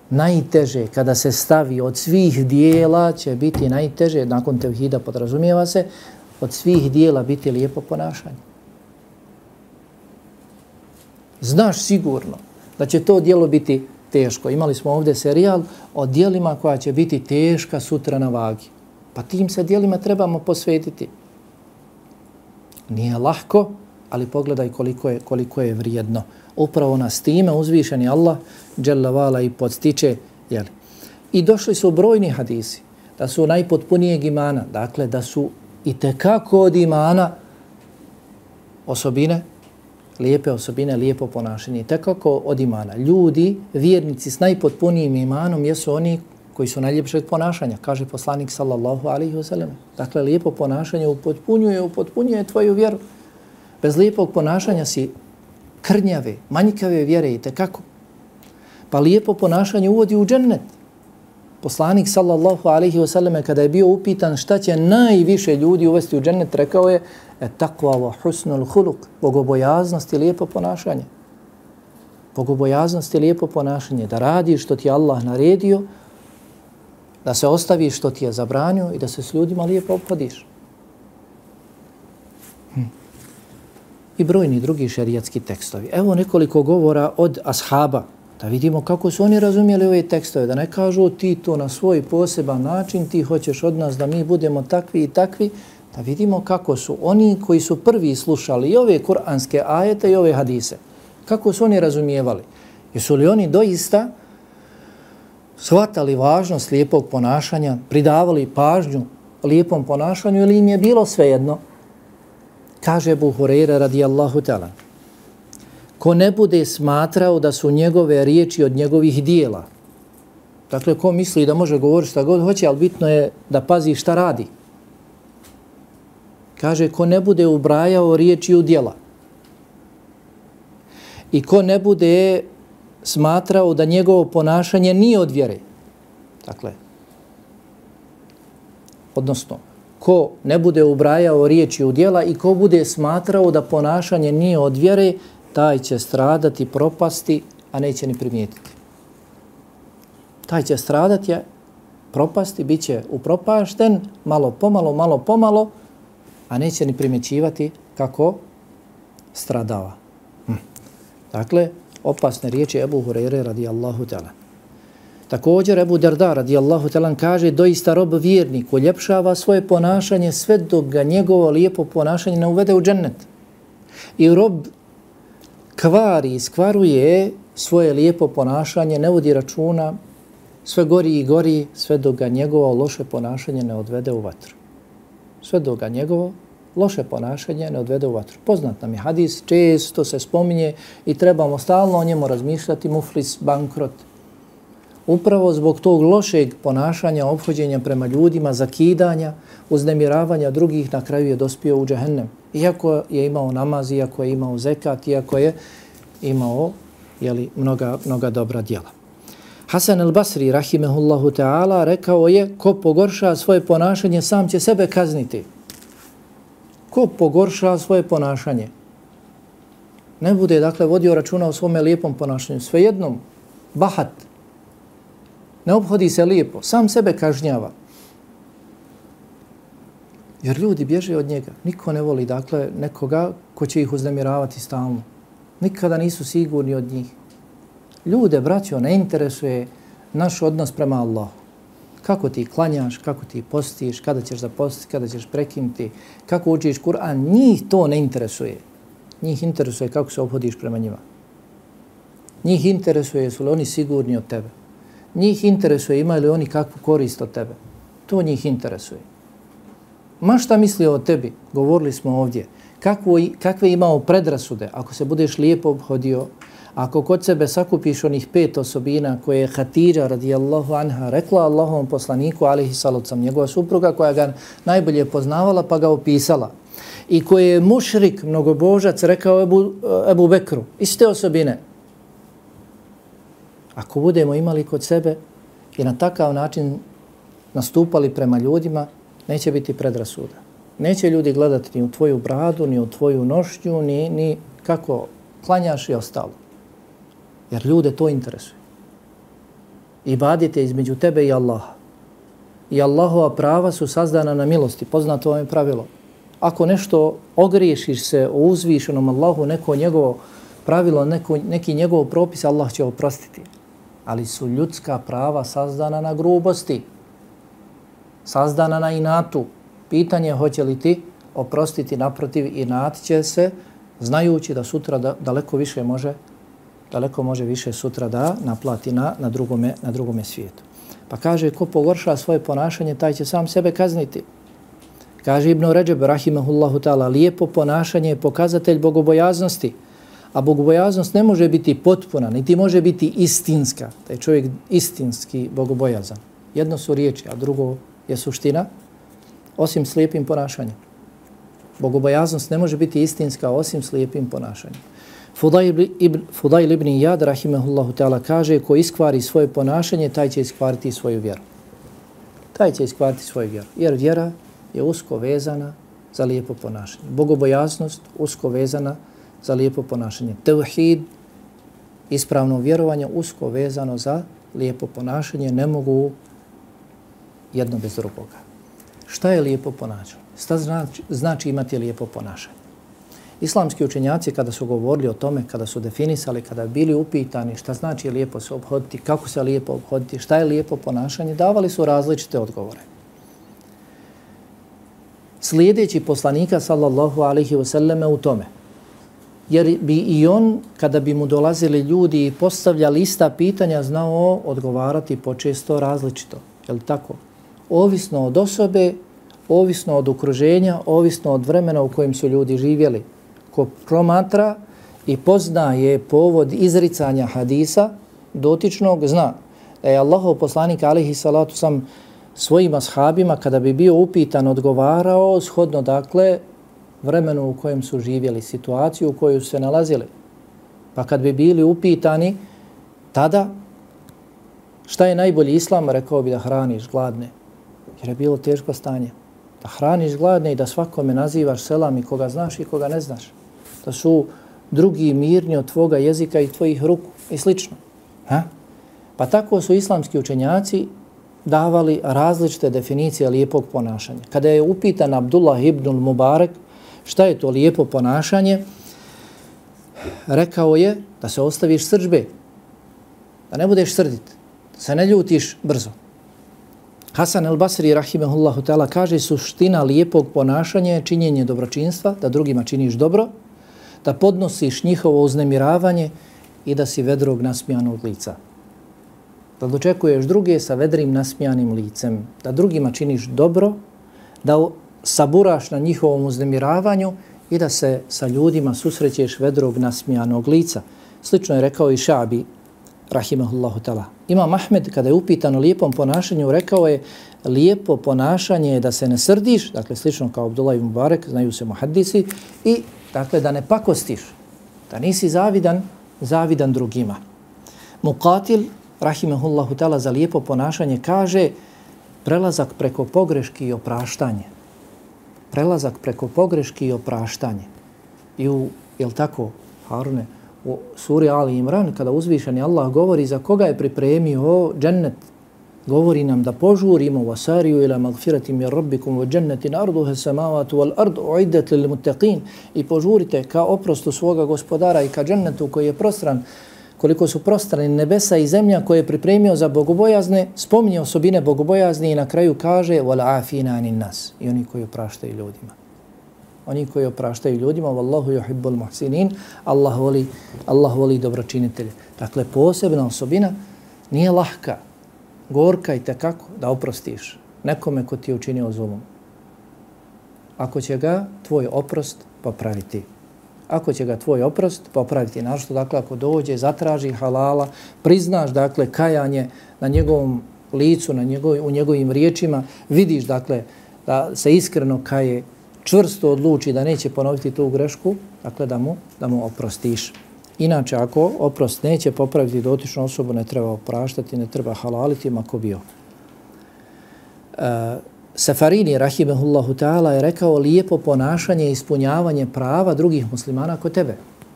najteže, kada se stavi od svih dijela će biti najteže, nakon tevhida podrazumijeva se, od svih dijela biti lijepo ponašanje. Znaš sigurno da će to dijelo biti teško. Imali smo ovdje serijal o dijelima koja će biti teška sutra na vagi. Pa tim se dijelima trebamo posvetiti. Nije lahko, ali pogledaj koliko je, koliko je vrijedno. Upravo nas time uzvišeni Allah dželle vala i podstiče. Jeli. I došli su brojni hadisi da su najpotpunijeg imana, dakle da su i tekako od imana osobine, lijepe osobine, lijepo ponašanje. Tekako od imana. Ljudi, vjernici s najpotpunijim imanom jesu oni koji su najljepšeg ponašanja, kaže poslanik sallallahu alaihi wa sallam. Dakle, lijepo ponašanje upotpunjuje, upotpunjuje tvoju vjeru. Bez lijepog ponašanja si krnjave, manjkave vjere i tekako. Pa lijepo ponašanje uvodi u džennet. Poslanik sallallahu alaihi wa sallam kada je bio upitan šta će najviše ljudi uvesti u džennet, rekao je e takva wa husnul huluk, bogobojaznost i lijepo ponašanje. Bogobojaznost i lijepo ponašanje, da radiš što ti je Allah naredio, da se ostaviš što ti je zabranio i da se s ljudima lijepo ophodiš. Hm. I brojni drugi šerijatski tekstovi. Evo nekoliko govora od ashaba, da vidimo kako su oni razumjeli ove tekstove, da ne kažu ti to na svoj poseban način, ti hoćeš od nas da mi budemo takvi i takvi, da vidimo kako su oni koji su prvi slušali i ove kuranske ajete i ove hadise, kako su oni razumijevali. Jesu li oni doista shvatali važnost lijepog ponašanja, pridavali pažnju lijepom ponašanju ili im je bilo svejedno? Kaže Ebu Hurajra radijallahu ta'ala, ko ne bude smatrao da su njegove riječi od njegovih dijela, dakle ko misli da može govoriti šta god hoće, ali bitno je da pazi šta radi. Kaže, ko ne bude ubrajao riječi u djela i ko ne bude smatrao da njegovo ponašanje nije od vjere. Dakle, odnosno, ko ne bude ubrajao riječi u djela i ko bude smatrao da ponašanje nije od vjere, taj će stradati, propasti, a neće ni primijetiti. Taj će stradati, propasti, bit će upropašten, malo pomalo, malo pomalo, a neće ni primjećivati kako stradava. Hm. Dakle, opasne riječi Ebu Hurajre radijallahu ta'ala. Također Ebu Darda radijallahu ta'ala kaže, doista rob vjernik uljepšava svoje ponašanje sve dok ga njegovo lijepo ponašanje ne uvede u džennet. I rob kvari, iskvaruje svoje lijepo ponašanje, ne vodi računa, sve gori i gori, sve dok ga njegovo loše ponašanje ne odvede u vatru. Sve dok ga njegovo loše ponašanje ne odvede u vatru. Poznat nam je hadis, često se spominje i trebamo stalno o njemu razmišljati, muflis, bankrot. Upravo zbog tog lošeg ponašanja, ophođenja prema ljudima, zakidanja, uznemiravanja drugih, na kraju je dospio u džehennem. Iako je imao namaz, iako je imao zekat, iako je imao jeli, mnoga, mnoga dobra djela. Hasan al-Basri, rahimehullahu ta'ala, rekao je, ko pogorša svoje ponašanje, sam će sebe kazniti. Ko pogorša svoje ponašanje? Ne bude, dakle, vodio računa o svome lijepom ponašanju. Svejednom, bahat, ne obhodi se lijepo, sam sebe kažnjava. Jer ljudi bježe od njega. Niko ne voli, dakle, nekoga ko će ih uznemiravati stalno. Nikada nisu sigurni od njih. Ljude, braćo, ne interesuje naš odnos prema Allahu. Kako ti klanjaš, kako ti postiš, kada ćeš zapostiti, kada ćeš prekinuti, kako učiš Kur'an, njih to ne interesuje. Njih interesuje kako se obhodiš prema njima. Njih interesuje su li oni sigurni od tebe. Njih interesuje imaju li oni kakvu korist od tebe. To njih interesuje. Ma šta misli o tebi, govorili smo ovdje, kakvo, kakve imao predrasude, ako se budeš lijepo obhodio, ako kod sebe sakupiš onih pet osobina koje je Hatidža radijallahu anha rekla Allahovom poslaniku, alihi salocam, njegova supruga koja ga najbolje poznavala pa ga opisala, i koje je mušrik, mnogobožac, rekao Ebu, Ebu Bekru, iste osobine. Ako budemo imali kod sebe i na takav način nastupali prema ljudima, neće biti predrasuda. Neće ljudi gledati ni u tvoju bradu, ni u tvoju nošnju, ni, ni kako klanjaš i ostalo. Jer ljude to interesuje. Ibadet je između tebe i Allaha. I Allahova prava su sazdana na milosti. Poznato vam je pravilo. Ako nešto ogriješiš se o uzvišenom Allahu, neko njegovo pravilo, neko, neki njegov propis, Allah će oprostiti. Ali su ljudska prava sazdana na grubosti. Sazdana na inatu. Pitanje je hoće li ti oprostiti, naprotiv, inat će se, znajući da sutra da, daleko više može, daleko može više sutra da naplati na, na, drugome, na drugome svijetu. Pa kaže, ko pogorša svoje ponašanje, taj će sam sebe kazniti. Kaže Ibn Ređeb, rahimahullahu ta'ala, lijepo ponašanje je pokazatelj bogobojaznosti. A bogobojaznost ne može biti potpuna, niti može biti istinska. Da je čovjek istinski bogobojazan. Jedno su riječi, a drugo je suština, osim slijepim ponašanjem. Bogobojaznost ne može biti istinska osim slijepim ponašanjem. Fudail ibn, Fudail ibn Iyad, rahimahullahu ta'ala, kaže, ko iskvari svoje ponašanje, taj će iskvariti svoju vjeru. Taj će iskvariti svoju vjeru. Jer vjera je usko vezana za lijepo ponašanje. Bogobojaznost usko vezana za lijepo ponašanje. Tevhid, ispravno vjerovanje, usko vezano za lijepo ponašanje. Ne mogu jedno bez drugoga. Šta je lijepo ponašanje? Šta znači, znači imati lijepo ponašanje? Islamski učenjaci kada su govorili o tome, kada su definisali, kada bili upitani šta znači lijepo se obhoditi, kako se lijepo obhoditi, šta je lijepo ponašanje, davali su različite odgovore. Slijedeći poslanika sallallahu alaihi wasallam u tome, jer bi i on, kada bi mu dolazili ljudi i postavljali ista pitanja, znao odgovarati počesto različito. Je li tako? Ovisno od osobe, ovisno od okruženja, ovisno od vremena u kojem su ljudi živjeli. Ko promatra i poznaje povod izricanja hadisa dotičnog, zna da je Allahov poslanik alejhi salatu sam svojim ashabima kada bi bio upitan odgovarao shodno dakle vremenu u kojem su živjeli, situaciju u kojoj su se nalazili. Pa kad bi bili upitani tada šta je najbolji islam, rekao bi da hraniš gladne. Jer je bilo teško stanje. Da hraniš gladne i da svakome nazivaš selam i koga znaš i koga ne znaš. Da su drugi mirni od tvoga jezika i tvojih ruku i slično. Ha? Pa tako su islamski učenjaci davali različite definicije lijepog ponašanja. Kada je upitan Abdullah ibn Mubarak šta je to lijepo ponašanje, rekao je da se ostaviš srdžbe, da ne budeš srdit, da se ne ljutiš brzo. Hasan el-Basri, rahimehullahu ta'ala, kaže suština lijepog ponašanja je činjenje dobročinstva, da drugima činiš dobro, da podnosiš njihovo uznemiravanje i da si vedrog nasmijanog lica. Da dočekuješ druge sa vedrim nasmijanim licem, da drugima činiš dobro, da saburaš na njihovom uznemiravanju i da se sa ljudima susrećeš vedrog nasmijanog lica. Slično je rekao i Šabi, rahimahullahu ta'ala. Imam Ahmed, kada je upitan o lijepom ponašanju, rekao je lijepo ponašanje je da se ne srdiš, dakle slično kao Abdullah ibn Mubarak, znaju se muhaddisi, i dakle da ne pakostiš, da nisi zavidan, zavidan drugima. Muqatil, rahimahullahu ta'ala, za lijepo ponašanje kaže prelazak preko pogreški i opraštanje. Prelazak preko pogreški i opraštanje. I u, jel tako, Harune, u suri Ali Imran, kada uzvišeni Allah govori za koga je pripremio džennet, govori nam da požurimo wasariju ila magfirati mir rabbikum wa džennetin arduha samavatu wal ardu uiddat lil muttaqin, i požurite ka oprostu svoga gospodara i ka džennetu koji je prostran, koliko su prostrani nebesa i zemlja koje je pripremio za bogobojazne, spominje osobine bogobojazni i na kraju kaže wal afina anin nas, i oni koji opraštaju ljudima. Oni koji opraštaju ljudima, wallahu yuhibbul muhsinin, Allah voli, Allah voli dobročinitelje. Dakle, posebna osobina nije lahka, gorka i tekako da oprostiš nekome ko ti je učinio zulum. Ako će ga tvoj oprost popraviti. Ako će ga tvoj oprost popraviti, našto, dakle, ako dođe, zatraži halala, priznaš, dakle, kajanje na njegovom licu, na njegov, u njegovim riječima, vidiš, dakle, da se iskreno kaje, čvrsto odluči da neće ponoviti tu grešku, dakle da mu, da mu oprostiš. Inače, ako oprost neće popraviti dotičnu osobu, ne treba opraštati, ne treba halaliti, mako bio. Safarini, rahimehullahu ta'ala, je rekao lijepo ponašanje i ispunjavanje prava drugih muslimana kod tebe.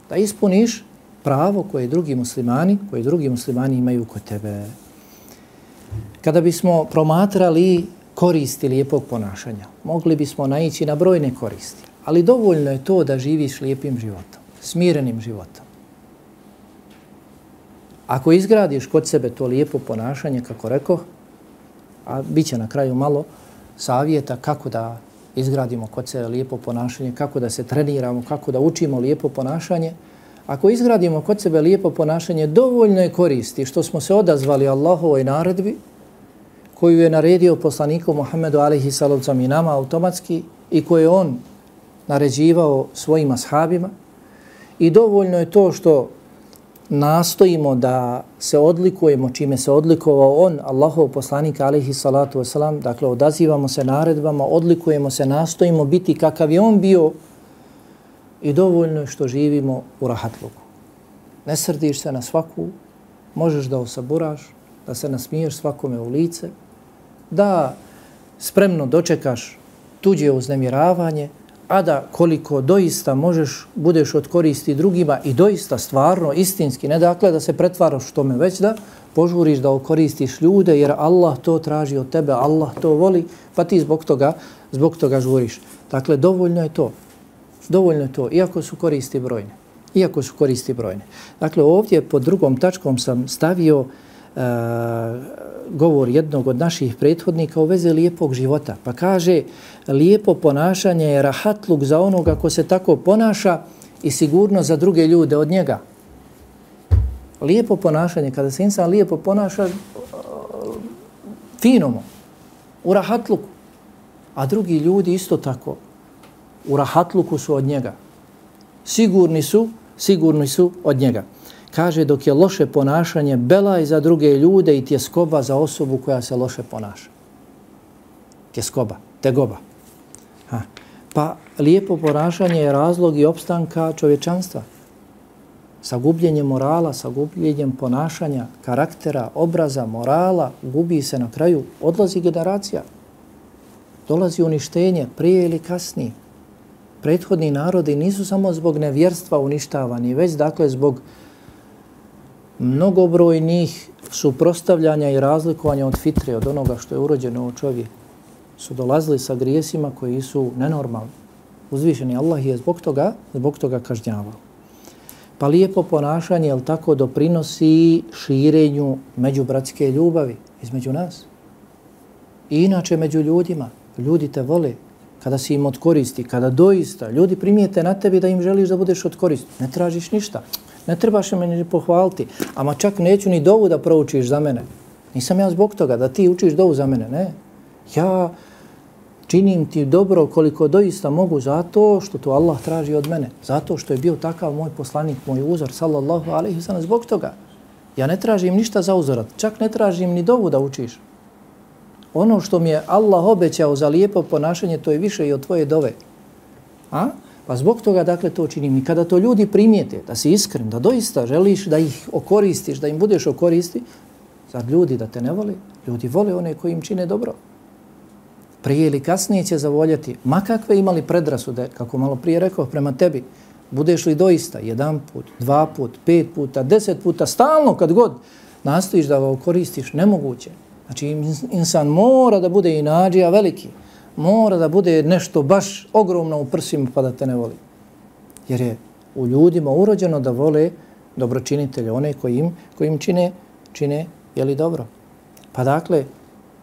Da ispuniš pravo koje drugi muslimani, koje drugi muslimani imaju kod tebe. Kada bismo promatrali koristi lijepog ponašanja, mogli bismo naići na brojne koristi, ali dovoljno je to da živiš lijepim životom, smirenim životom. Ako izgradiš kod sebe to lijepo ponašanje, kako rekoh, a bit će na kraju malo savjeta kako da izgradimo kod sebe lijepo ponašanje, kako da se treniramo, kako da učimo lijepo ponašanje. Ako izgradimo kod sebe lijepo ponašanje, dovoljno je koristi što smo se odazvali Allahovoj naredbi koju je naredio poslaniku Muhammedu alejhi salatu vesselam i nama automatski i koju je on naređivao svojim ashabima. I dovoljno je to što nastojimo da se odlikujemo čime se odlikovao on, Allahov poslanik alejhi salatu vesselam, dakle odazivamo se naredbama, odlikujemo se, nastojimo biti kakav je on bio i dovoljno je što živimo u rahatluku. Ne srdiš se na svaku, možeš da osaburaš, da se nasmiješ svakome u lice, da spremno dočekaš tuđe uznemiravanje, a da koliko doista možeš, budeš od koristi drugima i doista stvarno, istinski, ne dakle da se pretvaraš u tome, već da požuriš da okoristiš ljude, jer Allah to traži od tebe, Allah to voli, pa ti zbog toga, zbog toga žuriš. Dakle, dovoljno je to. Dovoljno je to, iako su koristi brojne. Iako su koristi brojne. Dakle, ovdje pod drugom tačkom sam stavio uh, govor jednog od naših prethodnika u vezi lijepog života. Pa kaže, lijepo ponašanje je rahatluk za onoga ko se tako ponaša i sigurno za druge ljude od njega. Lijepo ponašanje, kada se insan lijepo ponaša, fino mu, u rahatluku. A drugi ljudi isto tako, u rahatluku su od njega. Sigurni su, sigurni su od njega. Kaže, dok je loše ponašanje belaj za druge ljude i tjeskoba za osobu koja se loše ponaša. Tjeskoba, tegoba. Ha. Pa lijepo ponašanje je razlog i opstanka čovječanstva. Sa gubljenjem morala, sa gubljenjem ponašanja, karaktera, obraza, morala, gubi se na kraju, odlazi generacija. Dolazi uništenje, prije ili kasnije. Prethodni narodi nisu samo zbog nevjerstva uništavani, već dakle zbog mnogobrojnih suprostavljanja i razlikovanja od fitre, od onoga što je urođeno u čovjeku. Su dolazili sa grijesima koji su nenormalni. Uzvišeni Allah je zbog toga, zbog toga kažnjavao. Pa lijepo ponašanje, jel tako, doprinosi širenju međubratske ljubavi između nas. I inače među ljudima. Ljudi te vole kada si im od koristi, kada doista ljudi primijete na tebi da im želiš da budeš od koristi. Ne tražiš ništa. Ne trebaš me ni pohvaliti. Ama čak neću ni dovu da proučiš za mene. Nisam ja zbog toga da ti učiš dovu za mene. Ne. Ja činim ti dobro koliko doista mogu zato što to Allah traži od mene. Zato što je bio takav moj poslanik, moj uzor, sallallahu alejhi ve sellem, zbog toga. Ja ne tražim ništa za uzorat. Čak ne tražim ni dovu da učiš. Ono što mi je Allah obećao za lijepo ponašanje, to je više i od tvoje dove. A? Pa zbog toga, dakle, to činim. I kada to ljudi primijete, da si iskren, da doista želiš da ih okoristiš, da im budeš okoristi, zar ljudi da te ne vole? Ljudi vole one koji im čine dobro. Prije ili kasnije će zavoljati, ma kakve imali predrasude, kako malo prije rekao, prema tebi, budeš li doista jedan put, dva put, pet puta, deset puta, stalno kad god nastojiš da ga okoristiš, nemoguće. Znači, insan mora da bude inađija veliki, mora da bude nešto baš ogromno u prsima pa da te ne voli. Jer je u ljudima urođeno da vole dobročinitelje, one koji im, koji im čine, čine jeli dobro. Pa dakle,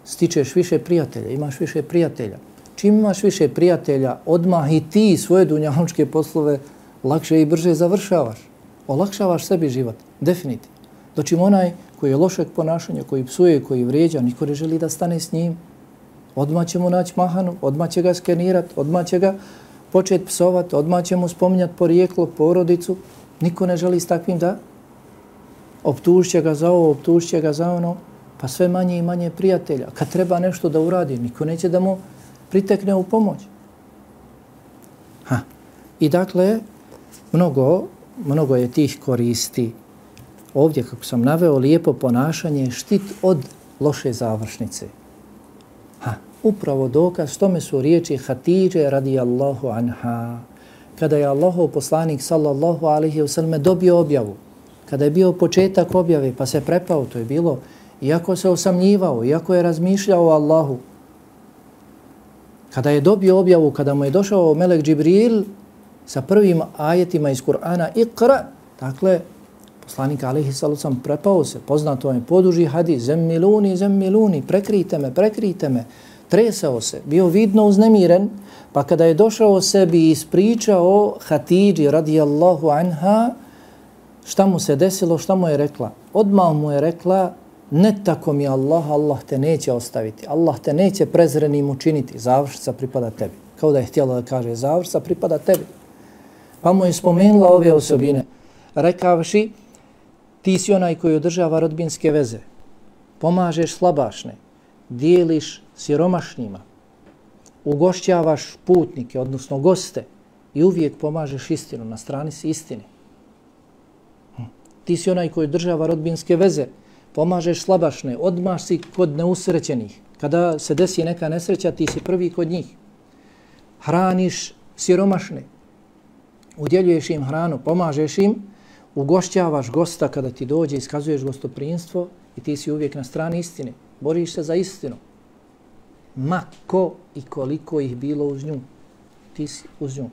stičeš više prijatelja, imaš više prijatelja. Čim imaš više prijatelja, odmah i ti svoje dunjalučke poslove lakše i brže završavaš. Olakšavaš sebi život, definitivno. Dočim onaj koji je lošeg ponašanja, koji psuje, koji vrijeđa, niko ne želi da stane s njim. Odmah će mu naći mahanu, odmah će ga skenirati, odmah će ga početi psovati, odmah će mu spominjati porijeklo, porodicu. Niko ne želi s takvim da optušće ga za ovo, optušće ga za ono, pa sve manje i manje prijatelja. Kad treba nešto da uradi, niko neće da mu pritekne u pomoć. Ha. I dakle, mnogo, mnogo je tih koristi. Ovdje, kako sam naveo, lijepo ponašanje je štit od loše završnice. Ha, Upravo dokaz tome su riječi Hatidže radijallahu anha. Kada je Allahov poslanik sallallahu alaihi wasallam dobio objavu, kada je bio početak objave pa se prepao, to je bilo, iako se osamnjivao, iako je razmišljao o Allahu, kada je dobio objavu, kada mu je došao melek Džibril sa prvim ajetima iz Kur'ana, Iqra, dakle, poslanik alaihi sallallahu alaihi wasallam prepao se, poznato je poduži hadis, zemmiluni, zemmiluni, prekrite me, prekrite me, tresao se, bio vidno uznemiren, pa kada je došao sebi i ispričao Hatidži radijallahu anha, šta mu se desilo, šta mu je rekla? Odmah mu je rekla, ne tako mi Allah, Allah te neće ostaviti, Allah te neće prezrenim učiniti, završca pripada tebi. Kao da je htjela da kaže, završca pripada tebi. Pa mu je spomenula ove osobine, rekavši, ti si onaj koji održava rodbinske veze, pomažeš slabašne, dijeliš siromašnjima, ugošćavaš putnike, odnosno goste i uvijek pomažeš istinu, na strani si istine. Ti si onaj koji održava rodbinske veze, pomažeš slabašne, odmah si kod neusrećenih. Kada se desi neka nesreća, ti si prvi kod njih. Hraniš siromašne, udjeljuješ im hranu, pomažeš im, ugošćavaš gosta kada ti dođe, iskazuješ gostoprinstvo i ti si uvijek na strani istine. Boriš se za istinu. Ma ko i koliko ih bilo uz nju, ti si uz nju.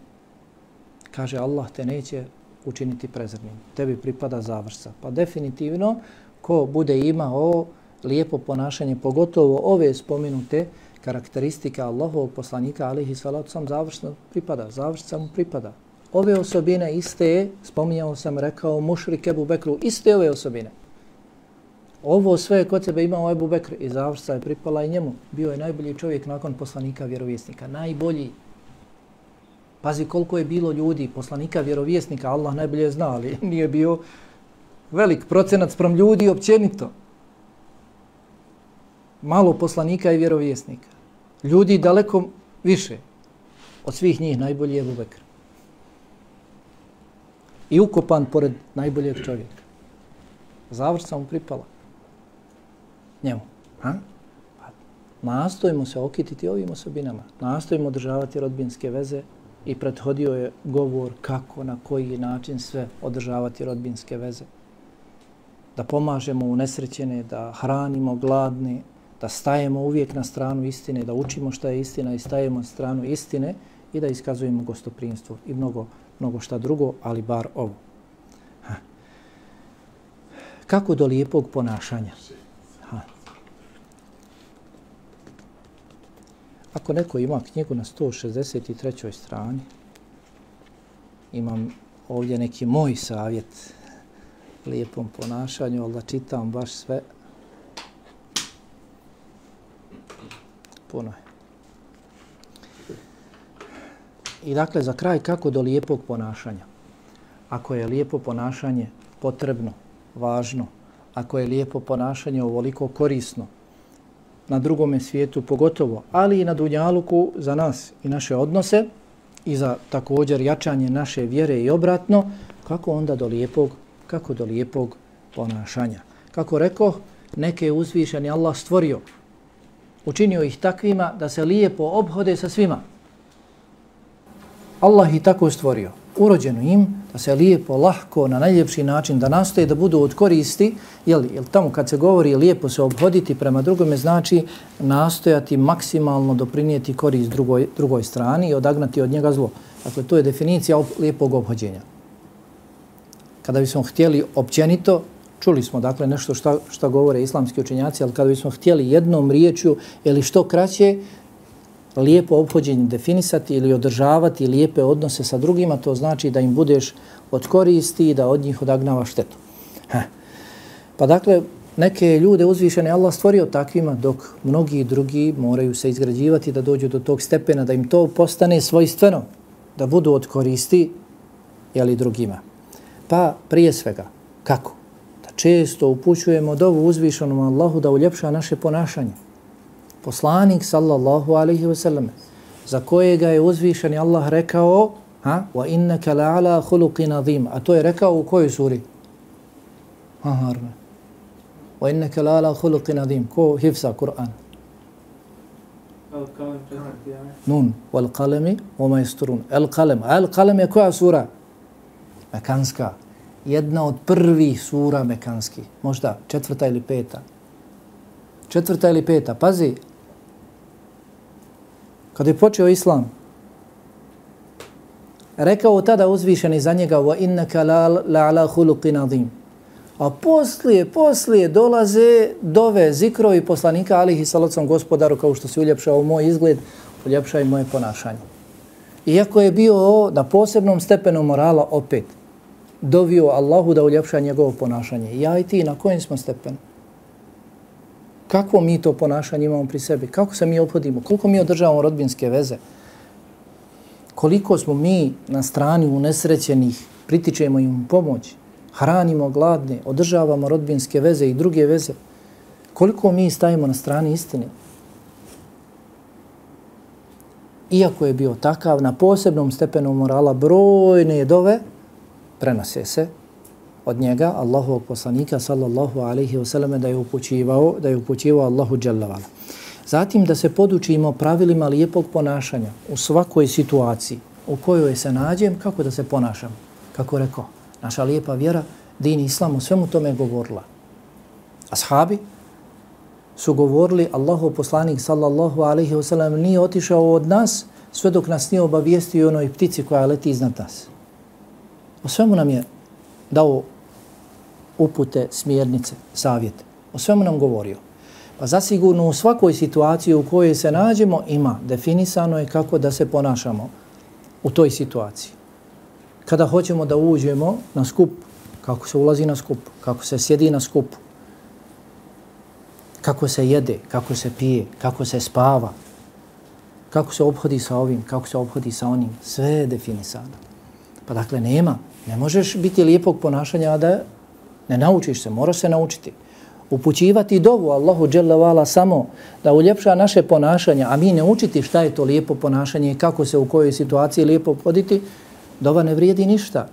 Kaže, Allah te neće učiniti prezrnim. Tebi pripada završca. Pa definitivno, ko bude imao lijepo ponašanje, pogotovo ove spomenute karakteristike Allahovog poslanika, alihi salatu sam, završno pripada. Završca mu pripada. Ove osobine iste, spominjao sam, rekao mušrik Ebu Bekru, iste ove osobine. Ovo sve kod sebe imao Ebu Bekr i završca je pripala i njemu. Bio je najbolji čovjek nakon poslanika vjerovjesnika. Najbolji. Pazi koliko je bilo ljudi, poslanika vjerovjesnika, Allah najbolje zna, ali nije bio velik procenat sprem ljudi općenito. Malo poslanika i vjerovjesnika. Ljudi daleko više. Od svih njih najbolji je Ebu Bekr. I ukopan pored najboljeg čovjeka. Završca mu pripala. Njemu. Ha? Nastojimo se okititi ovim osobinama. Nastojimo održavati rodbinske veze i prethodio je govor kako, na koji način sve održavati rodbinske veze. Da pomažemo unesrećene, da hranimo gladne, da stajemo uvijek na stranu istine, da učimo šta je istina i stajemo na stranu istine i da iskazujemo gostoprinstvo i mnogo, mnogo šta drugo, ali bar ovo. Ha. Kako do lijepog ponašanja? Ha. Ako neko ima knjigu na sto šezdeset trećoj strani, imam ovdje neki moj savjet lijepom ponašanju, ali da čitam baš sve, puno je. I dakle, za kraj, kako do lijepog ponašanja? Ako je lijepo ponašanje potrebno, važno, ako je lijepo ponašanje ovoliko korisno, na drugome svijetu pogotovo, ali i na dunjaluku za nas i naše odnose i za također jačanje naše vjere i obratno, kako onda do lijepog, kako do lijepog ponašanja? Kako rekao, neke je uzvišeni Allah stvorio, učinio ih takvima da se lijepo obhode sa svima. Allah ih tako stvorio, urođeno im da se lijepo, lahko, na najljepši način, da nastoje da budu od koristi, jel, jel tamo kad se govori lijepo se obhoditi prema drugome, znači nastojati maksimalno doprinijeti korist drugoj, drugoj strani i odagnati od njega zlo. Dakle, to je definicija lijepog obhođenja. Kada bismo htjeli općenito, čuli smo dakle nešto šta, šta govore islamski učenjaci, ali kada bismo htjeli jednom riječju ili što kraće, lijepo ophođenje definisati ili održavati lijepe odnose sa drugima, to znači da im budeš od koristi i da od njih odagnava štetu. Ha. Pa dakle, neke ljude uzvišene Allah stvorio takvima, dok mnogi drugi moraju se izgrađivati da dođu do tog stepena, da im to postane svojstveno, da budu od koristi jeli, drugima. Pa prije svega, kako? Da često upućujemo dovu uzvišenom Allahu da uljepša naše ponašanje. Poslanik sallallahu alaihi wa sallam, za kojega je uzvišeni Allah rekao, ha, wa innaka la'ala khuluqin azim, a to je rekao u kojoj suri? Ha, harme. Wa innaka la'ala khuluqin azim, ko hifza Kur'an. Nun, wal qalami wama yasturun. El qalam. El qalam je koja sura? Mekanska. Jedna od prvih sura mekanskih. Možda četvrta ili peta. Četvrta ili peta. Pazi. Kada je počeo Islam, rekao tada uzvišeni za njega wa innaka la ala khuluqin azim. A poslije, poslije dolaze dove, zikrovi poslanika alihi salacom gospodaru, kao što se uljepšao moj izgled, uljepšaj moje ponašanje. Iako je bio na posebnom stepenu morala opet, dovio Allahu da uljepša njegovo ponašanje. Ja i ti na kojem smo stepenu? Kakvo mi to ponašanje imamo pri sebi? Kako se mi ophodimo? Koliko mi održavamo rodbinske veze? Koliko smo mi na strani unesrećenih, pritičemo im pomoć, hranimo gladne, održavamo rodbinske veze i druge veze? Koliko mi stajimo na strani istine? Iako je bio takav, na posebnom stepenu morala brojne dove prenose se od njega, Allahovog poslanika, sallallahu alaihi wasallam, da je upućivao, da je upućivao Allahu dželle vala. Zatim da se podučimo pravilima lijepog ponašanja u svakoj situaciji u kojoj se nađem, kako da se ponašam. Kako rekao, naša lijepa vjera, din islam, u svemu tome je govorila. Ashabi su govorili, Allahov poslanik, sallallahu alaihi wasallam, nije otišao od nas sve dok nas nije obavijestio onoj ptici koja leti iznad nas. O svemu nam je dao upute, smjernice, savjete. O svemu nam govorio. Pa zasigurno u svakoj situaciji u kojoj se nađemo ima definisano je kako da se ponašamo u toj situaciji. Kada hoćemo da uđemo na skup, kako se ulazi na skup, kako se sjedi na skupu, kako se jede, kako se pije, kako se spava, kako se ophodi sa ovim, kako se ophodi sa onim, sve je definisano. Pa dakle nema, ne možeš biti lijepog ponašanja, a da ne naučiš se, moraš se naučiti. Upućivati dovu Allahu dželle vala samo da uljepša naše ponašanje, a mi ne učiti šta je to lijepo ponašanje i kako se u kojoj situaciji lijepo poditi, dova ne vrijedi ništa.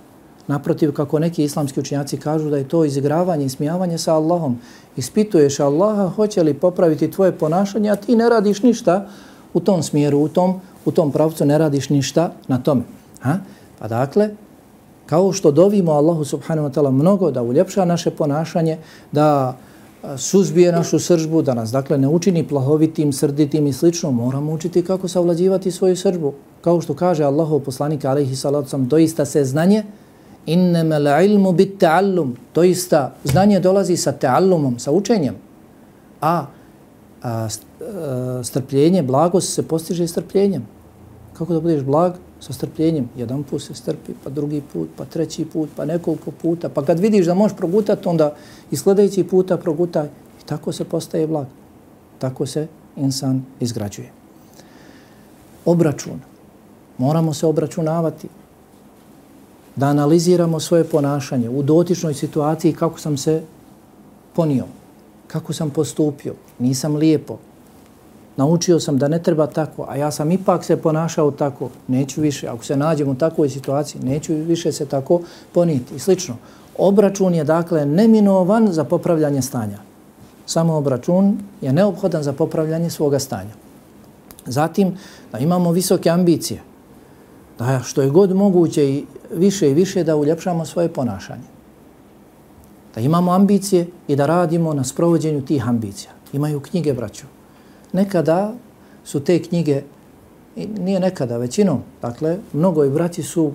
Naprotiv, kako neki islamski učenjaci kažu da je to izigravanje i smijavanje sa Allahom. Ispituješ Allaha hoće li popraviti tvoje ponašanje, a ti ne radiš ništa u tom smjeru, u tom, u tom pravcu ne radiš ništa na tome. Ha? Pa dakle, kao što dovimo Allahu subhanahu wa ta'ala mnogo da uljepša naše ponašanje, da suzbije našu sržbu, da nas dakle ne učini plahovitim, srditim i slično, moramo učiti kako savlađivati svoju sržbu. Kao što kaže Allahov poslanik alejhi salatu vesselam, doista se znanje innamal ilmu bit ta'allum, doista znanje dolazi sa ta'allumom, sa učenjem. A, a strpljenje, blagost se postiže strpljenjem. Kako da budeš blag? Sa strpljenjem. Jedan put se strpi, pa drugi put, pa treći put, pa nekoliko puta. Pa kad vidiš da možeš progutati, onda i sljedeći puta progutaj. I tako se postaje blag. Tako se insan izgrađuje. Obračun. Moramo se obračunavati. Da analiziramo svoje ponašanje u dotičnoj situaciji, kako sam se ponio, kako sam postupio, nisam lijepo. Naučio sam da ne treba tako, a ja sam ipak se ponašao tako, neću više. Ako se nađem u takvoj situaciji, neću više se tako poniti. I slično. Obračun je dakle neminovan za popravljanje stanja. Samo obračun je neophodan za popravljanje svoga stanja. Zatim, da imamo visoke ambicije. Da što je god moguće i više i više da uljepšamo svoje ponašanje. Da imamo ambicije i da radimo na sprovođenju tih ambicija. Imaju knjige, braćo. Nekada su te knjige, nije nekada, većinom, dakle, mnogo i braći su,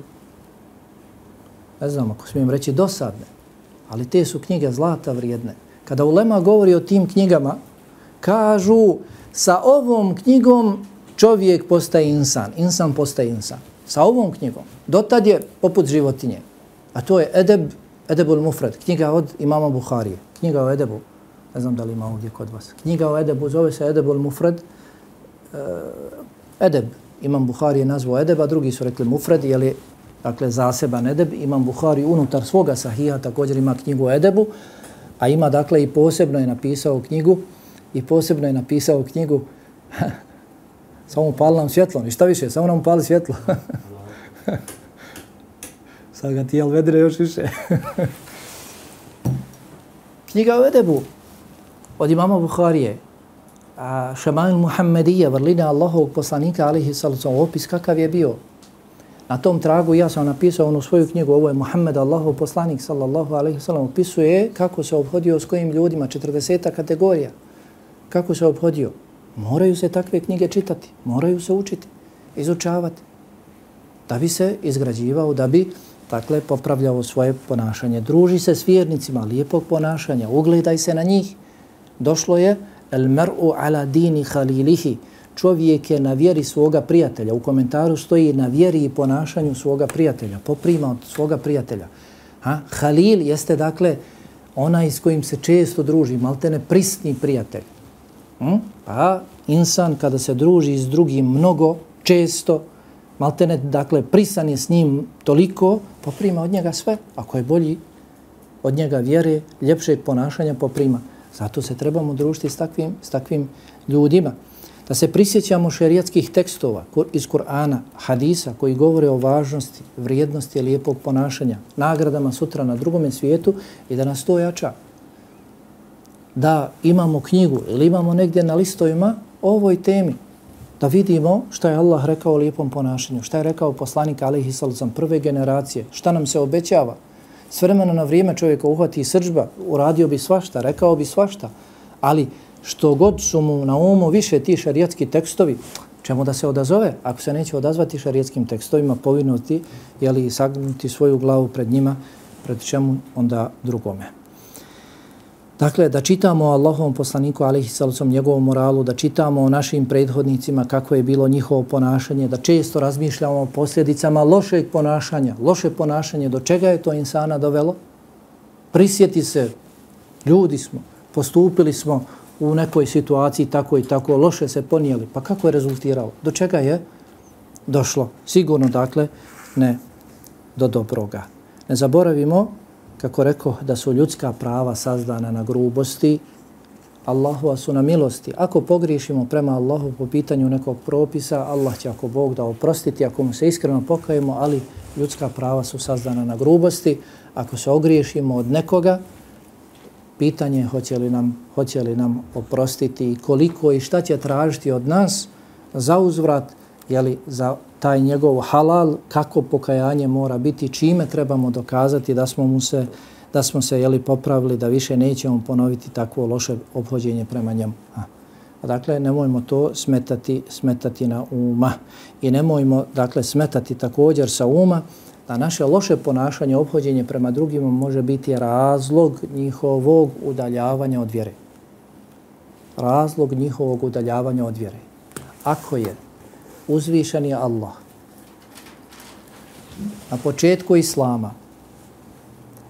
ne znam ako smijem reći, dosadne, ali te su knjige zlata vrijedne. Kada ulema govori o tim knjigama, kažu sa ovom knjigom čovjek postaje insan, insan postaje insan. Sa ovom knjigom. Dotad je poput životinje. A to je Edeb, Edebul Mufrad, knjiga od imama Buharije, knjiga o Edebu. Ne znam da li ima ovdje kod vas. Knjiga o Edebu zove se Edebul Mufrad. Uh, Edeb, imam Buharije nazvao Edeb, a drugi su rekli Mufrad, jer je dakle, zaseban Edeb. Imam Buhari unutar svoga sahija također ima knjigu o Edebu, a ima dakle i posebno je napisao knjigu i posebno je napisao knjigu samo upali nam svjetlo. I šta više, samo nam upali svjetlo. Sad ga ti jel vedre još više. Knjiga o Edebu od imama Buharije. Šemail Muhammedija, vrline Allahovog poslanika, alihi sallam, opis kakav je bio. Na tom tragu ja sam napisao onu svoju knjigu, ovo je Muhammed, Allahov poslanik, sallallahu alaihi sallam, opisuje kako se obhodio s kojim ljudima, četrdeseta kategorija. Kako se obhodio. Moraju se takve knjige čitati, moraju se učiti, izučavati, da bi se izgrađivao, da bi dakle, popravljao svoje ponašanje. Druži se s vjernicima lijepog ponašanja, ugledaj se na njih. Došlo je el mar'u ala dini halilihi, čovjek je na vjeri svoga prijatelja. U komentaru stoji na vjeri i ponašanju svoga prijatelja, poprima od svoga prijatelja. Ha? Halil jeste dakle onaj s kojim se često druži, maltene prisni prijatelj. Hm? Pa insan kada se druži s drugim mnogo, često, maltene dakle prisan je s njim toliko, poprima od njega sve. Ako je bolji od njega vjere, ljepšeg ponašanja, poprima. Zato se trebamo družiti s takvim, s takvim ljudima. Da se prisjećamo šerijatskih tekstova iz Kur'ana, hadisa koji govore o važnosti, vrijednosti lijepog ponašanja, nagradama sutra na drugome svijetu i da nas to jača. Da imamo knjigu ili imamo negdje na listovima o ovoj temi, da vidimo šta je Allah rekao o lijepom ponašanju, šta je rekao poslanik alejhi sallam prve generacije, šta nam se obećava. S vremena na vrijeme čovjeka uhvati srdžba, uradio bi svašta, rekao bi svašta, ali što god su mu na umu više ti šarijatski tekstovi, čemu da se odazove? Ako se neće odazvati šarijatskim tekstovima, povinuti, jeli sagnuti svoju glavu pred njima, pred čemu onda drugome. Dakle, da čitamo o Allahovom poslaniku, alejhi sallam, njegovom moralu, da čitamo o našim prethodnicima, kako je bilo njihovo ponašanje, da često razmišljamo o posljedicama lošeg ponašanja. Loše ponašanje, do čega je to insana dovelo? Prisjeti se, ljudi smo, postupili smo u nekoj situaciji tako i tako, loše se ponijeli. Pa kako je rezultiralo? Do čega je došlo? Sigurno, dakle, ne do dobroga. Ne zaboravimo, kako rekao, da su ljudska prava sazdana na grubosti, Allahova su na milosti. Ako pogriješimo prema Allahu po pitanju nekog propisa, Allah će ako Bog da oprostiti, ako mu se iskreno pokajemo, ali ljudska prava su sazdana na grubosti. Ako se ogriješimo od nekoga, pitanje je hoće li nam, hoće li nam oprostiti i koliko i šta će tražiti od nas za uzvrat, jeli, za taj njegov halal, kako pokajanje mora biti, čime trebamo dokazati da smo mu se, da smo se jeli, popravili, da više nećemo ponoviti takvo loše ophođenje prema njemu. A, dakle, nemojmo to smetati, smetati na uma. I nemojmo, dakle, smetati također sa uma da naše loše ponašanje, ophođenje prema drugima može biti razlog njihovog udaljavanja od vjere. Razlog njihovog udaljavanja od vjere. Ako je uzvišen je Allah na početku Islama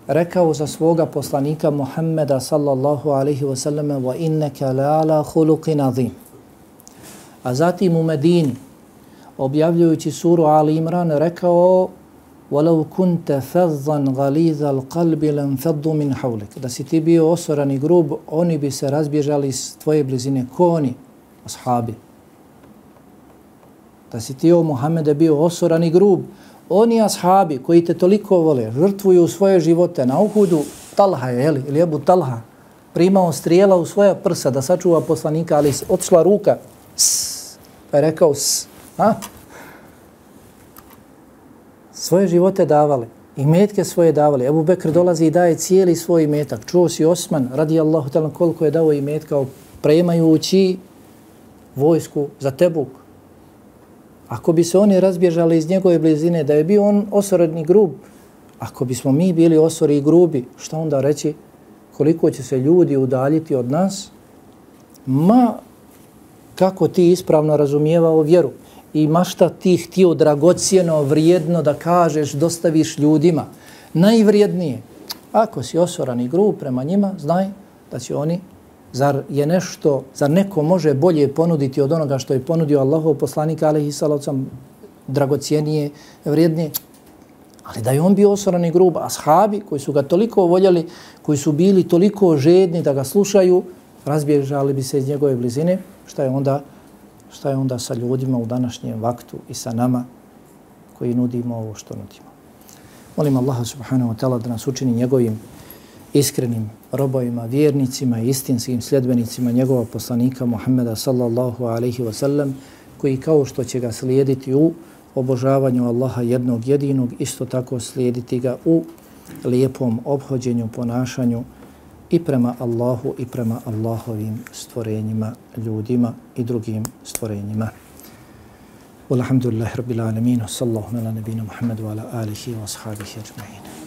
rekao za svoga poslanika Muhammeda sallallahu alaihi wa sallam wa innaka la'ala khuluqin azim. A zatim u Medini objavljujući suru Ali Imran rekao وَلَوْ كُنْتَ فَظًّا غَلِيظَ الْقَلْبِ لَنْفَضُّ مِنْ حَوْلِكَ. Da si ti bio osoran i grub, oni bi se razbježali iz tvoje blizine. Ko oni? Ashabi. Da si ti, o Muhammede, bio osoran i grub, oni ashabi koji te toliko vole, žrtvuju svoje živote na Uhudu, Talha je, jeli, ili Ebu Talha, primao strijela u svoja prsa da sačuva poslanika, ali otišla ruka, s, pa je rekao s, a? Svoje živote davali, i metke svoje davali. Ebu Bekr dolazi i daje cijeli svoj metak. Čuo si Osman, radijallahu ta'ala, koliko je dao i metka premajući vojsku za Tebuk. Ako bi se oni razbježali iz njegove blizine, da je bio on osorodni grub, ako bismo mi bili osori i grubi, šta onda reći? Koliko će se ljudi udaljiti od nas? Ma, kako ti ispravno razumijevao vjeru i ma šta ti htio dragocijeno, vrijedno da kažeš, dostaviš ljudima. Najvrijednije. Ako si osoran i grub prema njima, znaj da će oni, zar je nešto, zar neko može bolje ponuditi od onoga što je ponudio Allahov poslanik alejhi sallam, dragocijenije, vrijednije. Ali da je on bio osoran i grub, ashabi koji su ga toliko voljeli, koji su bili toliko žedni da ga slušaju, razbježali bi se iz njegove blizine. Šta je onda, šta je onda sa ljudima u današnjem vaktu i sa nama koji nudimo ovo što nudimo? Molim Allaha subhanahu wa ta'ala da nas učini njegovim iskrenim robovima, vjernicima i istinskim sljedbenicima njegova poslanika Muhammeda sallallahu alaihi wa sallam, koji kao što će ga slijediti u obožavanju Allaha jednog jedinog, isto tako slijediti ga u lijepom obhođenju, ponašanju i prema Allahu i prema Allahovim stvorenjima, ljudima i drugim stvorenjima. Walhamdulillahi rabbil alamin, sallallahu ala nabina Muhammedu ala alihi wa ashabihi ajma'in.